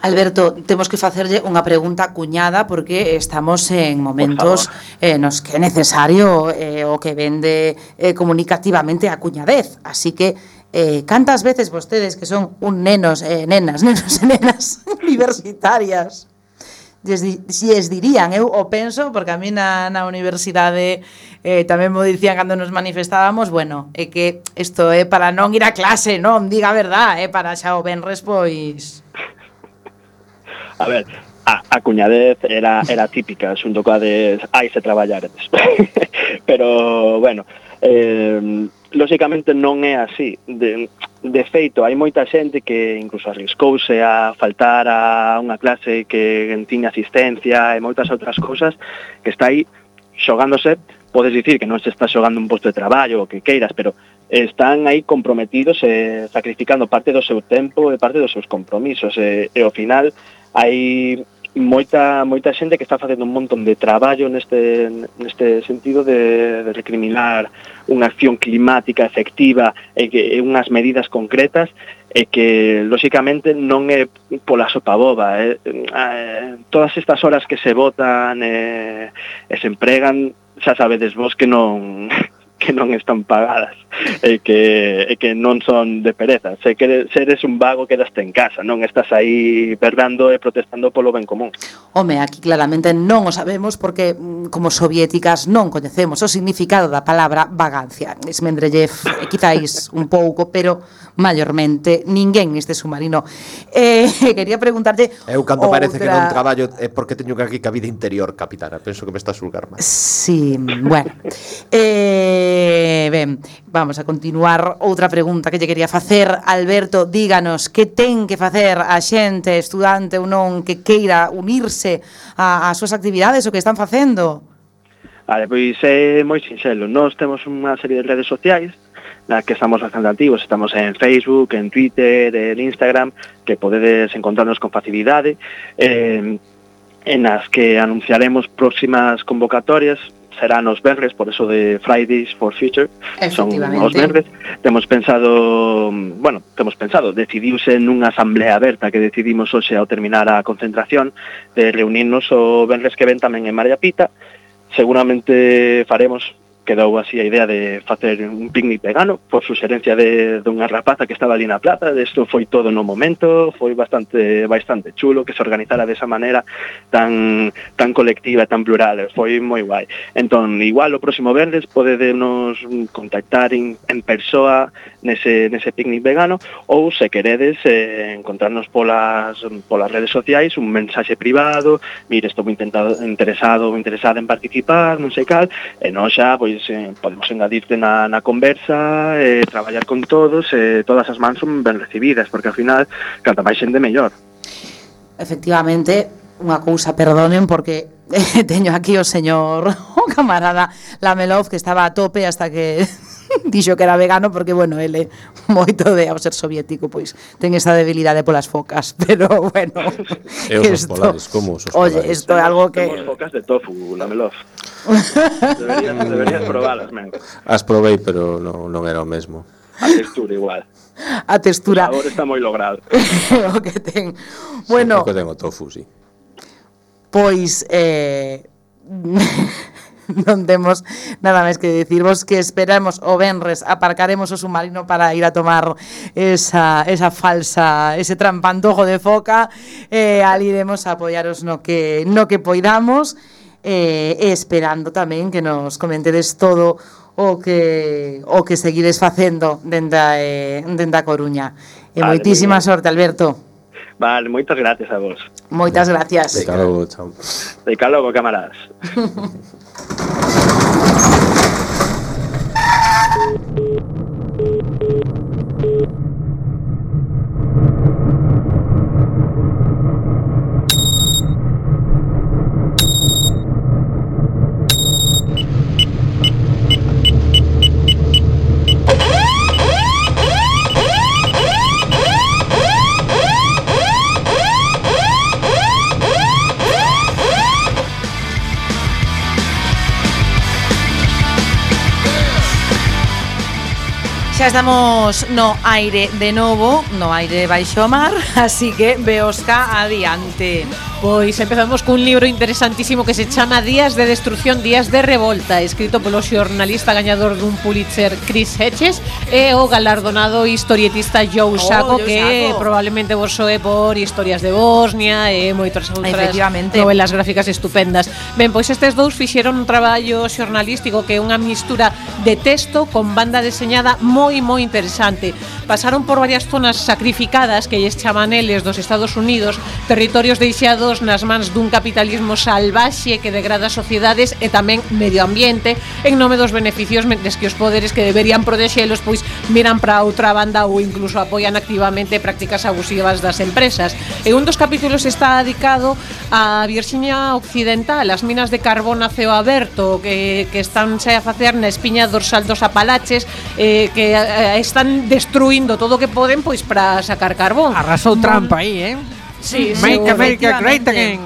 S12: Alberto, temos que facerlle unha pregunta cuñada porque estamos en momentos eh, nos que é necesario eh, o que vende eh, comunicativamente a cuñadez. Así que, eh, cantas veces vostedes que son un nenos, eh, nenas, nenos e nenas universitarias, si es dirían, eu o penso, porque a mí na, na universidade eh, tamén mo dicían cando nos manifestábamos, bueno, é que isto é para non ir a clase, non, diga a verdad, é para xa o venres, pois...
S13: A ver, a, a cuñadez era, era típica, xunto coa de hai se traballar, pero, bueno, eh, lóxicamente non é así. De, de feito, hai moita xente que incluso arriscouse a faltar a unha clase que tiña asistencia e moitas outras cousas, que está aí xogándose. Podes dicir que non se está xogando un posto de traballo o que queiras, pero están aí comprometidos e sacrificando parte do seu tempo e parte dos seus compromisos, e, e ao final hai moita moita xente que está facendo un montón de traballo neste neste sentido de, de recriminar unha acción climática efectiva e que e unhas medidas concretas, e que lóxicamente non é pola sopa boba, eh. Eh, todas estas horas que se botan e, e se empregan, xa sabedes vos que non que non están pagadas e que, e que non son de pereza. Se que se eres un vago, quedaste en casa, non estás aí berrando e protestando polo ben común.
S12: Home, aquí claramente non o sabemos porque como soviéticas non coñecemos o significado da palabra vagancia. Esmendrellev, quizáis un pouco, pero maiormente ninguén neste submarino. Eh, quería preguntarte
S8: Eu cando
S12: outra...
S8: parece que non traballo é porque teño que aquí ca vida interior, capitana. Penso que me está a sulgar máis.
S12: Sí, bueno. Eh Eh, ben, vamos a continuar. Outra pregunta que lle quería facer. Alberto, díganos que ten que facer a xente, estudante ou non, que queira unirse a- ás súas actividades o que están facendo.
S13: Vale, pois é moi sinxelo. Nós temos unha serie de redes sociais na que estamos bastante activos. Estamos en Facebook, en Twitter, en Instagram, que podedes encontrarnos con facilidade, eh, en as que anunciaremos próximas convocatorias. Serán os venres, por eso de Fridays for Future, son os venres. Temos pensado, bueno, temos pensado, decidiuse nunha asamblea aberta que decidimos hoxe ao terminar a concentración de reunirnos o venres que ven tamén en María Pita. Seguramente faremos, quedou así a idea de facer un picnic vegano por suxerencia de dunha rapaza que estaba ali na plaza. Isto foi todo no momento, foi bastante bastante chulo que se organizara desa maneira tan tan colectiva e tan plural, foi moi guai. Entón, igual o próximo venres podedenos contactar en, en persoa nese, nese picnic vegano, ou se queredes eh, encontrarnos polas, polas redes sociais, un mensaxe privado, mire, estou intentado, interesado ou interesada en participar, non sei cal, e nós xa, pois, eh, podemos engadirte na, na conversa, eh, traballar con todos, eh, todas as mans son ben recibidas, porque ao final, canta máis xente mellor.
S12: Efectivamente, unha cousa, perdonen, porque eh, teño aquí o señor, o camarada Lamelov, que estaba a tope hasta que dixo que era vegano, porque, bueno, ele, moito de ao ser soviético, pois, ten esa debilidade polas focas, pero, bueno,
S6: E os
S12: esto,
S6: polares, como os
S12: oye,
S6: polares?
S12: isto é algo que...
S13: Temos focas de tofu, Lamelov. deberías, deberías probalas, men.
S6: As probei, pero non, non era o mesmo.
S13: A textura igual.
S12: A textura.
S13: O sabor está moi logrado.
S12: o que ten. Bueno,
S6: Sí, ten o tofu, sí.
S12: pois eh non temos nada máis que dicirvos que esperamos o venres, aparcaremos o submarino para ir a tomar esa, esa falsa, ese trampantojo de foca, e eh, ali iremos a apoiaros no que, no que poidamos, eh, e esperando tamén que nos comentedes todo o que o que seguides facendo dende a, eh, dende a Coruña. E
S13: Vale,
S12: moitísima sorte, Alberto.
S13: Vale, moitas gracias a vos.
S12: Moitas gracias.
S6: De logo, chao.
S13: De logo, camaradas.
S4: Xa estamos no aire de novo, no aire baixo mar, así que veosca adiante.
S11: Pois empezamos cun libro interesantísimo que se chama Días de Destrucción, Días de Revolta, escrito polo xornalista gañador dun Pulitzer Chris Hedges e o galardonado historietista Joe Sacco,
S4: Oh, Joe
S11: que
S4: Sacco.
S11: probablemente vos soe por Historias de Bosnia e moitas outras
S4: Efectivamente.
S11: novelas gráficas estupendas. Ben, pois estes dous fixeron un traballo xornalístico que é unha mistura de texto con banda deseñada moi moi interesante. Pasaron por varias zonas sacrificadas que lles chaman eles dos Estados Unidos, territorios deixados nas mans dun capitalismo salvaxe que degrada sociedades e tamén medio ambiente en nome dos beneficios, mentres que os poderes que deberían protexelos pois miran para outra banda ou incluso apoian activamente prácticas abusivas das empresas. E un dos capítulos está dedicado a Virxinia Occidental, as minas de carbón a ceo aberto que, que están xa a facer na espiña dorsal dos Apalaches, eh, que eh, están destruindo todo o que poden pois para sacar carbón.
S9: Arrasou Trump aí, eh?
S11: Sí,
S9: Make
S11: sí,
S9: America Great
S11: efectivamente.
S9: Again.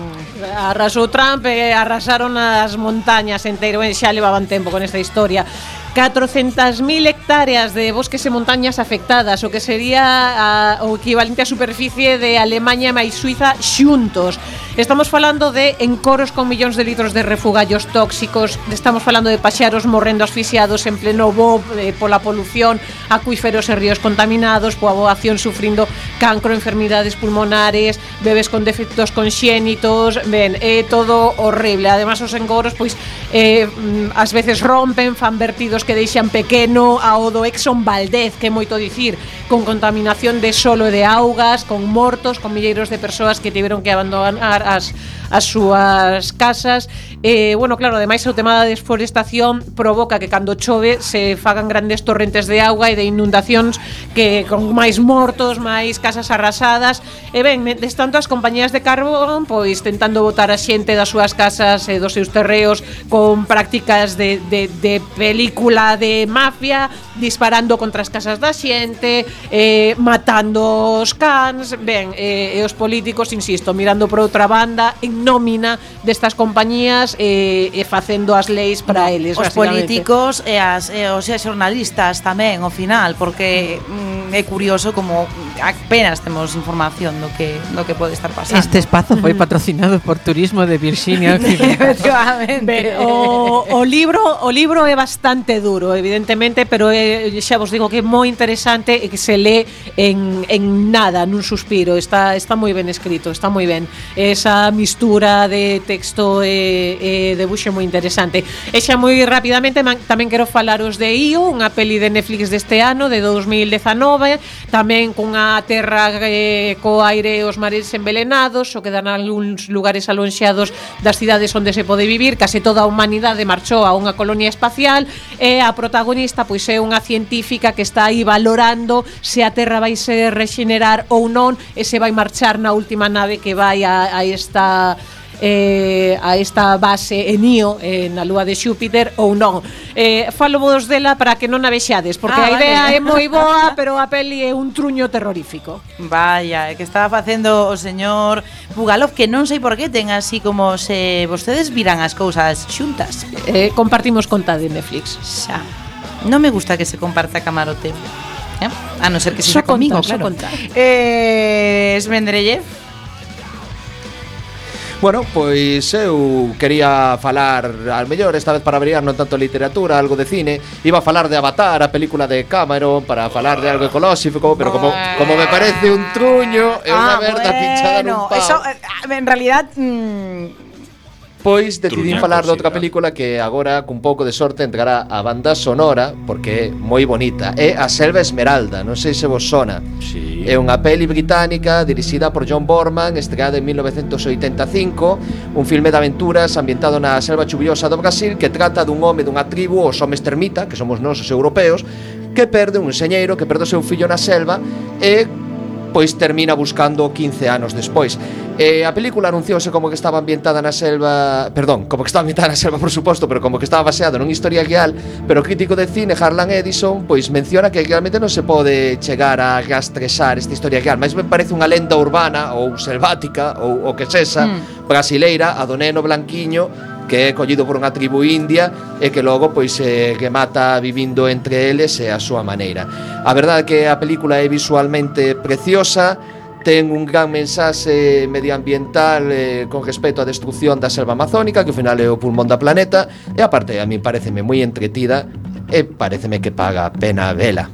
S11: Arrasou Trump e arrasaron as montañas enteiro, e xa levaban tempo con esta historia. catrocentas mil hectáreas de bosques e montañas afectadas, o que sería a, o equivalente a superficie de Alemanha máis Suiza xuntos. Estamos falando de encoros con millóns de litros de refugallos tóxicos, estamos falando de paxaros morrendo asfixiados en pleno voo eh, pola polución, acuíferos e ríos contaminados, poboación sufrindo cancro, enfermidades pulmonares, bebés con defectos conxénitos, ben, é todo horrible. Ademais, os encoros, pois, eh, ás veces rompen, fan vertidos que deixan pequeno ao do Exxon Valdez, que é moito dicir, con contaminación de solo e de augas, con mortos, con milleiros de persoas que tiveron que abandonar as, as súas casas. E, bueno, claro, ademais o tema da desforestación provoca que cando chove se fagan grandes torrentes de auga e de inundacións que con máis mortos, máis casas arrasadas. E ben, des tanto as compañías de carbón pois tentando botar a xente das súas casas e dos seus terreos con prácticas de, de, de película de mafia, disparando contra as casas da xente, eh, matando os cans, ben, eh, e os políticos, insisto, mirando por outra banda en nómina destas compañías e, e facendo as leis para eles.
S12: Os políticos e as e os xornalistas tamén ao final, porque mm, é curioso como apenas temos información do que do que pode estar pasando.
S9: Este espazo foi patrocinado por Turismo de Virxinia Occidental.
S11: Ben, o, o libro o libro é bastante duro, evidentemente, pero é, xa vos digo que é moi interesante e que se lee en, en nada, nun suspiro. Está, está moi ben escrito, está moi ben. Esa mistura de texto e, e debuxo moi interesante. E xa moi rapidamente man, tamén quero falaros de I O, unha peli de Netflix deste ano, de dos mil dezanove, tamén cunha terra eh, co aire e os mares envelenados, o que dan algúns lugares alonxados das cidades onde se pode vivir. Case toda a humanidade marchou a unha colonia espacial e a protagonista pois é unha científica que está aí valorando se a Terra vai se rexenerar ou non e se vai marchar na última nave que vai a, a esta eh, a esta base en Io, eh, na lúa de Xúpiter ou non. Eh, falo vos dela para que non a vexades, porque ah, a idea vale. é moi boa, pero a peli é un truño terrorífico.
S12: Vaya, é que estaba facendo o señor Bugalov, que non sei por que ten así como se vostedes viran as cousas xuntas.
S11: Eh, compartimos conta de Netflix.
S12: Xa. Non me gusta que se comparta camarote. ¿Eh? A non ser que sexa comigo, claro. Eh, Esmendrellev.
S8: Bueno, pois eu quería falar, al mellor esta vez para variar non tanto literatura, algo de cine. Iba a falar de Avatar, a película de Cameron, para falar de algo ecolóxico, pero como, como me parece un truño e unha
S12: ah,
S8: merda
S12: bueno,
S8: pinchada nun pau.
S12: Eso, en realidad... Mmm,
S8: Pois decidín
S6: Truñaco,
S8: falar de outra
S6: sí,
S8: película que agora cun pouco de sorte entrará a banda sonora, porque é moi bonita. É A Selva Esmeralda, non sei se vos sona.
S6: Sí.
S8: É unha peli británica dirixida por John Borman, estreada en mil novecentos oitenta e cinco, un filme de aventuras ambientado na selva chuviosa do Brasil, que trata dun home dunha tribu, os homes termita, que somos nós os europeos, que perde un enxeñeiro que perde o seu fillo na selva e pois termina buscando quince anos despois. Eh, a película anunciouse como que estaba ambientada na selva, perdón, como que estaba ambientada na selva, por suposto, pero como que estaba baseado nun historia real, pero o crítico de cine Harlan Edison pois menciona que realmente non se pode chegar a rastrexar esta historia real, mas me parece unha lenda urbana ou selvática ou o que sexa, mm. brasileira, a do neno blanquiño que é collido por unha tribu india e que logo pois eh, que mata vivindo entre eles e a súa maneira. A verdade é que a película é visualmente preciosa, ten un gran mensaxe medioambiental eh, con respecto á destrucción da selva amazónica, que ao final é o pulmón da planeta, e aparte a mí pareceme moi entretida e pareceme que paga a pena vela.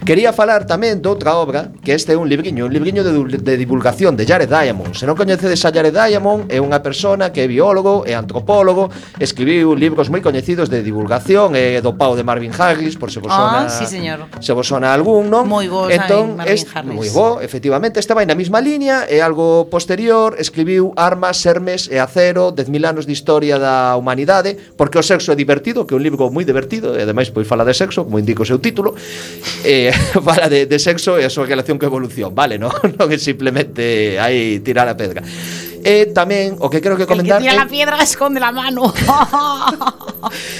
S8: Quería falar tamén de outra obra, que este é un libriño, un libriño de, de divulgación de Jared Diamond. Se non coñecedes a Jared Diamond, é unha persona que é biólogo e antropólogo, escribiu libros moi coñecidos de divulgación, e do pau de Marvin Harris, por se vos sona,
S12: oh, sí, señor.
S8: Se vos sona algún, non?
S12: Moi bo,
S8: entón,
S12: Marvin
S8: este,
S12: Harris.
S8: moi bo, efectivamente, este vai na mesma liña, é algo posterior, escribiu Armas, Sermes e Acero, dez mil anos de historia da humanidade, porque o sexo é divertido, que é un libro moi divertido, e ademais pois fala de sexo, como indica o seu título, e fala de, de sexo e a súa relación co evolución, vale, non? Non é simplemente aí tirar a pedra. E tamén o que creo que comentar,
S12: el que tira la piedra esconde la mano.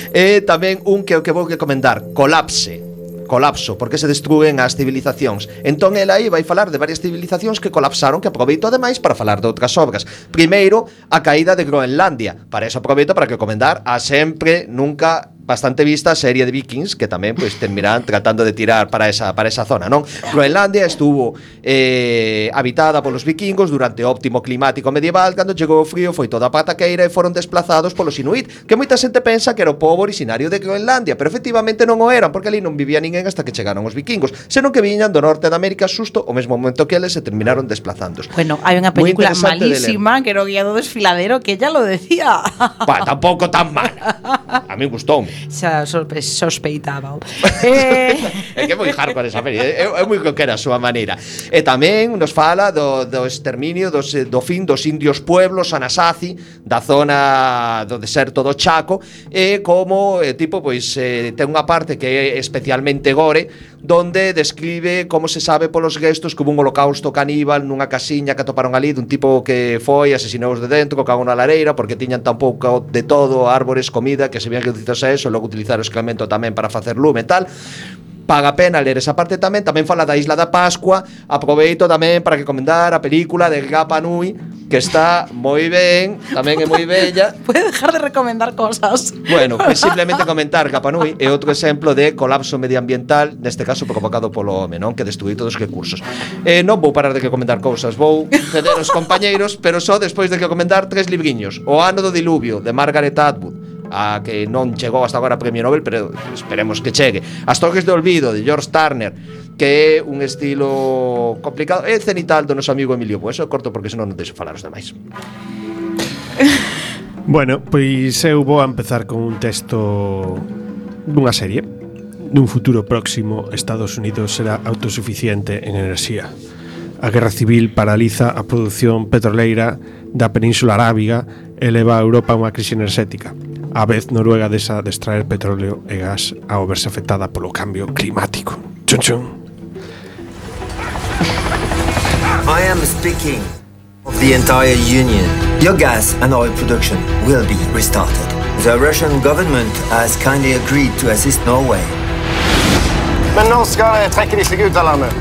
S8: E tamén un que o que vou que comentar, Colapse. Colapso, porque se destruen as civilizacións. Entón ela aí vai falar de varias civilizacións que colapsaron, que aproveito ademais para falar de outras obras. Primeiro, a caída de Groenlandia. Para eso aproveito para que comentar a sempre, nunca bastante vista a serie de Vikings, que tamén pois terminarán tratando de tirar para esa para esa zona, non? Groenlandia estuvo eh, habitada polos vikingos durante o óptimo climático medieval. Cando chegou o frío foi toda a pataqueira e foron desplazados polos Inuit, que moita xente pensa que era o pobo originario de Groenlandia, pero efectivamente non o eran, porque ali non vivía ninguén hasta que chegaron os vikingos, senón que viñan do norte de América xusto o mesmo momento que eles se terminaron desplazando.
S12: Bueno, hai unha película malísima que era o guía do desfiladero, que ella lo decía.
S8: Pa, tampouco tan mala. A mí gustoume.
S12: xa sospe, sospeitaba. eh...
S8: É que é moi hardcore esa peli, é, é moi coquera a súa maneira. E tamén nos fala do, do exterminio dos, do fin dos indios pueblos Anasazi da zona do deserto do Chaco, e como eh, tipo pois eh, ten unha parte que é especialmente gore, donde describe como se sabe polos gestos que hubo un holocausto caníbal nunha casiña que atoparon ali dun tipo que foi, asesinou de dentro, co cago na lareira, porque tiñan tan pouco de todo, árbores, comida, que se vían reducidos a eso, logo utilizar o excremento tamén para facer lume e tal. Paga pena ler esa parte tamén. Tamén fala da Isla da Pascua. Aproveito tamén para recomendar a película de Rapa Nui, que está moi ben, tamén é moi bella.
S12: Puede dejar de recomendar cosas.
S8: Bueno, pues simplemente comentar Rapa Nui é outro exemplo de colapso medioambiental, neste caso provocado polo home, non? Que destruí todos os recursos. Eh, non vou parar de recomendar cousas, vou ceder aos compañeiros, pero só despois de recomendar tres libriños. O ano do diluvio, de Margaret Atwood, a que non chegou hasta agora a Premio Nobel, pero esperemos que chegue. As Torres de Olvido, de George Turner, que é un estilo complicado. É cenital do noso amigo Emilio. Pois eso corto porque senón non deixo falar os demais.
S7: Bueno, pois eu vou a empezar con un texto dunha serie. Nun futuro próximo, Estados Unidos será autosuficiente en enerxía. A guerra civil paraliza a produción petroleira da Península Arábiga e leva a Europa a unha crise enerxética. A vez Noruega desa de extraer petróleo e gas ao verse afectada polo cambio climático. Chun chun.
S14: I am speaking of the entire Union. Your gas and oil production will be restarted. The Russian government has kindly agreed to assist Norway.
S15: Men når skal trekke de seg ut av landet?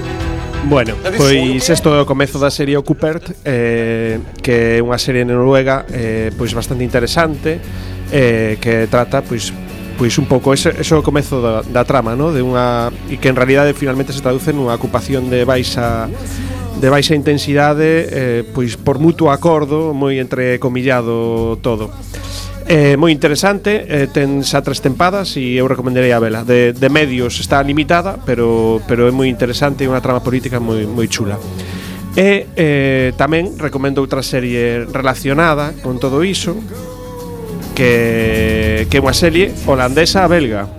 S7: Bueno, pois isto é o comezo da serie Occupert, eh, que é unha serie noruega eh, pois bastante interesante, eh, que trata pois pois un pouco ese, ese é o comezo da, da trama, ¿no? De unha e que en realidade finalmente se traduce nunha ocupación de baixa de baixa intensidade, eh, pois por mutuo acordo, moi entrecomillado todo. É eh, moi interesante, eh, ten xa tres tempadas e eu recomendarei a vela. De, de medios está limitada, pero, pero é moi interesante e unha trama política moi, moi chula. E eh, tamén recomendo outra serie relacionada con todo iso, que, que é unha serie holandesa-belga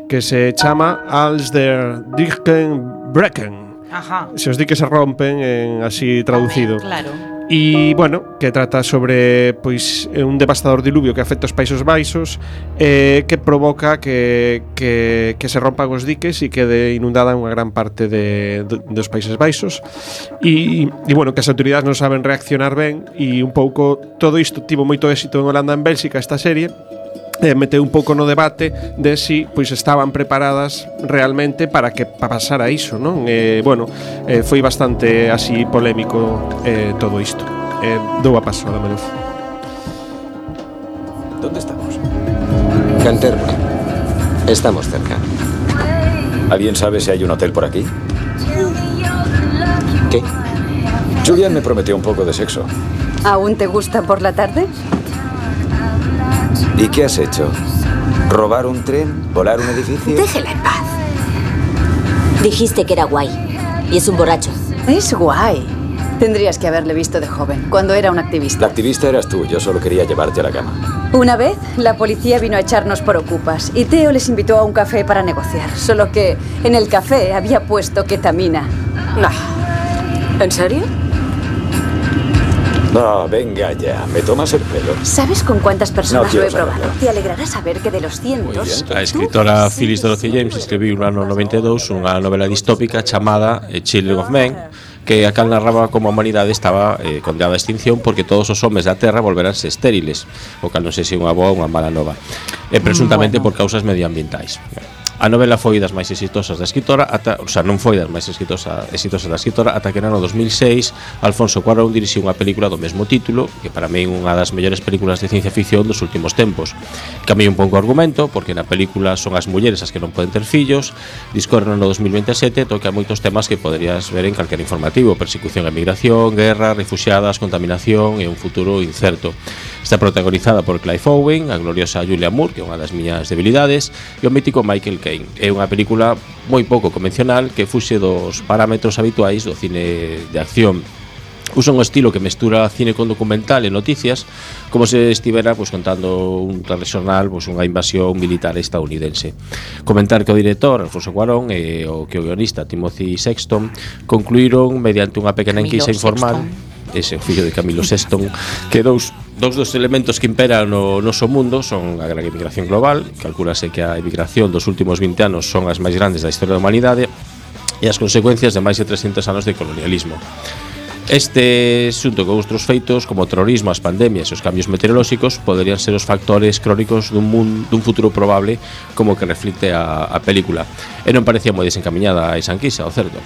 S7: que se chama Als der Dichten Brekken.
S12: Ajá.
S7: Se os di que se rompen en así traducido.
S12: Claro.
S7: E, bueno, que trata sobre pois un devastador diluvio que afecta os Países Baixos, eh, que provoca que, que, que se rompan os diques e quede inundada unha gran parte de, de, dos Países Baixos e, e, bueno, que as autoridades non saben reaccionar ben e un pouco todo isto tivo moito éxito en Holanda e en Bélxica esta serie. Eh, meteu un pouco no debate de si pois estaban preparadas realmente para que pasara iso, non? Eh, bueno, eh, foi bastante así polémico eh, todo isto. Eh, dou a paso a la menuz.
S16: ¿Dónde estamos? Canterbury. Estamos cerca. ¿Alguien sabe si hay un hotel por aquí? ¿Qué? Julian me prometió un poco de sexo.
S17: ¿Aún te gusta por la tarde?
S16: ¿Y qué has hecho? ¿Robar un tren? ¿Volar un edificio?
S17: Déjela en paz.
S18: Dijiste que era guay. Y es un borracho.
S17: Es guay. Tendrías que haberle visto de joven, cuando era un activista.
S16: La activista eras tú, yo solo quería llevarte a la cama.
S17: Una vez, la policía vino a echarnos por ocupas y Theo les invitó a un café para negociar. Solo que en el café había puesto ketamina.
S18: No. ¿En serio?
S16: No, venga ya, ¿me tomas el pelo?
S17: ¿Sabes con cuántas personas
S16: No
S17: lo he
S16: quiero
S17: probado?
S16: saberlo.
S17: Te alegrará saber que de los cientos...
S6: A escritora Phyllis Dorothy James escribiu no ano noventa e dous unha novela distópica chamada Children of Men, que a cal narraba como a humanidade estaba eh, condenada a extinción porque todos os homes da Terra volveranse estériles, o cal non sei se unha boa ou unha mala nova, e presuntamente bueno. por causas medioambientais. A novela foi das máis exitosas da escritora ata, o sea, non foi das máis exitosa, exitosas da escritora ata que no ano dos mil seis Alfonso Cuarón dirixiu unha película do mesmo título, que para mí é unha das mellores películas de ciencia ficción dos últimos tempos. Cambiei un pouco o argumento, porque na película son as mulleres as que non poden ter fillos, discorre no ano dos mil veintisiete, toca moitos temas que poderías ver en calquer informativo: persecución e migración, guerra, refuxiadas, contaminación e un futuro incerto. Está protagonizada por Clive Owen, a gloriosa Julia Moore, que é unha das miñas debilidades, e o mítico Michael Caine. É unha película moi pouco convencional que fuxe dos parámetros habituais do cine de acción. Usa un estilo que mestura cine con documental e noticias, como se estivera pues, contando un telexornal pues, unha invasión militar estadounidense. Comentar que o director Alfonso Cuarón e o que o guionista Timothy Sexton concluíron mediante unha pequena enquisa informal, ese fillo de Camilo Sexton, que dous Dous dos elementos que imperan no noso mundo son a gran emigración global, calculase que a emigración dos últimos vinte anos son as máis grandes da historia da humanidade, e as consecuencias de máis de trescentos anos de colonialismo. Este xunto con outros feitos como o terrorismo, as pandemias e os cambios meteorolóxicos poderían ser os factores crónicos dun, mundo, dun futuro probable como que reflicte a, a película, e non parecía moi desencaminhada a esa enquisa, o certo.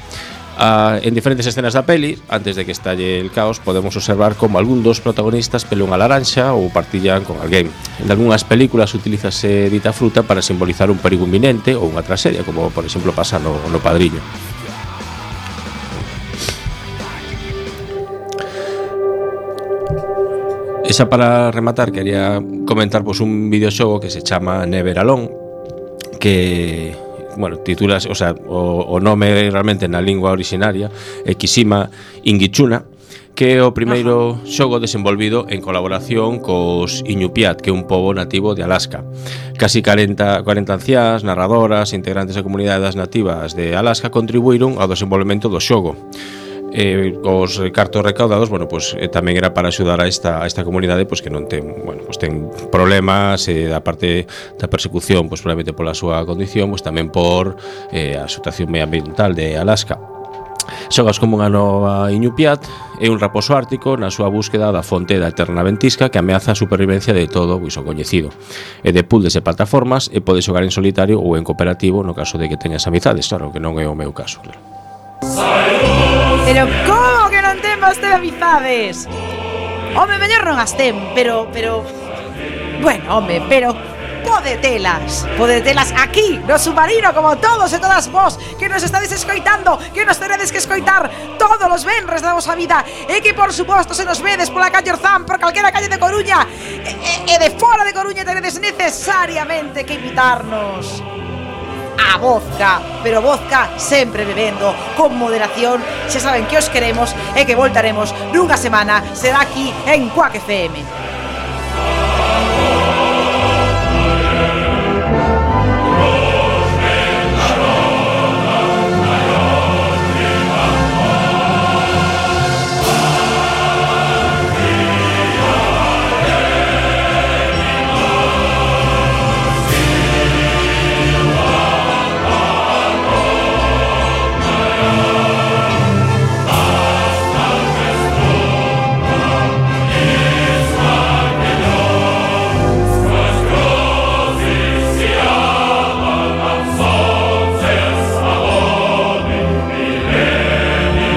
S6: Ah, en diferentes escenas da peli, antes de que estalle el caos, podemos observar como algún dos protagonistas pele unha laranxa ou partillan con alguén. En algunhas películas utilízase dita fruta para simbolizar un perigo inminente ou unha tragedia, como por exemplo pasa no, no Padriño. Esa para rematar, quería comentar pues, un videoxogo que se chama Never Alone, que, bueno, titulas, o sea, o, o nome realmente na lingua originaria é Kishima Ingichuna, que é o primeiro xogo desenvolvido en colaboración cos Iñupiat, que é un pobo nativo de Alaska. Casi cuarenta, cuarenta anciás, narradoras e integrantes da comunidade das nativas de Alaska contribuíron ao desenvolvemento do xogo. Eh, os cartos recaudados, bueno, pues eh, tamén era para axudar a esta a esta comunidade, pues que non ten, bueno, pues ten problemas eh, da parte da persecución, pues probablemente pola súa condición, pues tamén por eh, a situación medioambiental de Alaska. Xogas como unha nova Iñupiat e un raposo ártico na súa búsqueda da fonte da eterna ventisca que ameaza a supervivencia de todo o iso coñecido. E de puzzles e plataformas e pode xogar en solitario ou en cooperativo no caso de que teñas amizades, claro, que non é o meu caso, claro.
S12: Pero como que non ten vostede amizades? Home, mellor non as ten, pero, pero... Bueno, home, pero... Podetelas, podetelas aquí, no submarino, como todos e todas vos que nos estades escoitando, que nos teredes que escoitar todos os venres da vosa vida, e que por suposto se nos vedes pola calle Orzán, por calquera calle de Coruña e, e de fora de Coruña teredes necesariamente que invitarnos a vodka, pero vodka sempre bebendo con moderación. Xa saben que os queremos e que voltaremos nunha semana, será aquí en Quack F M.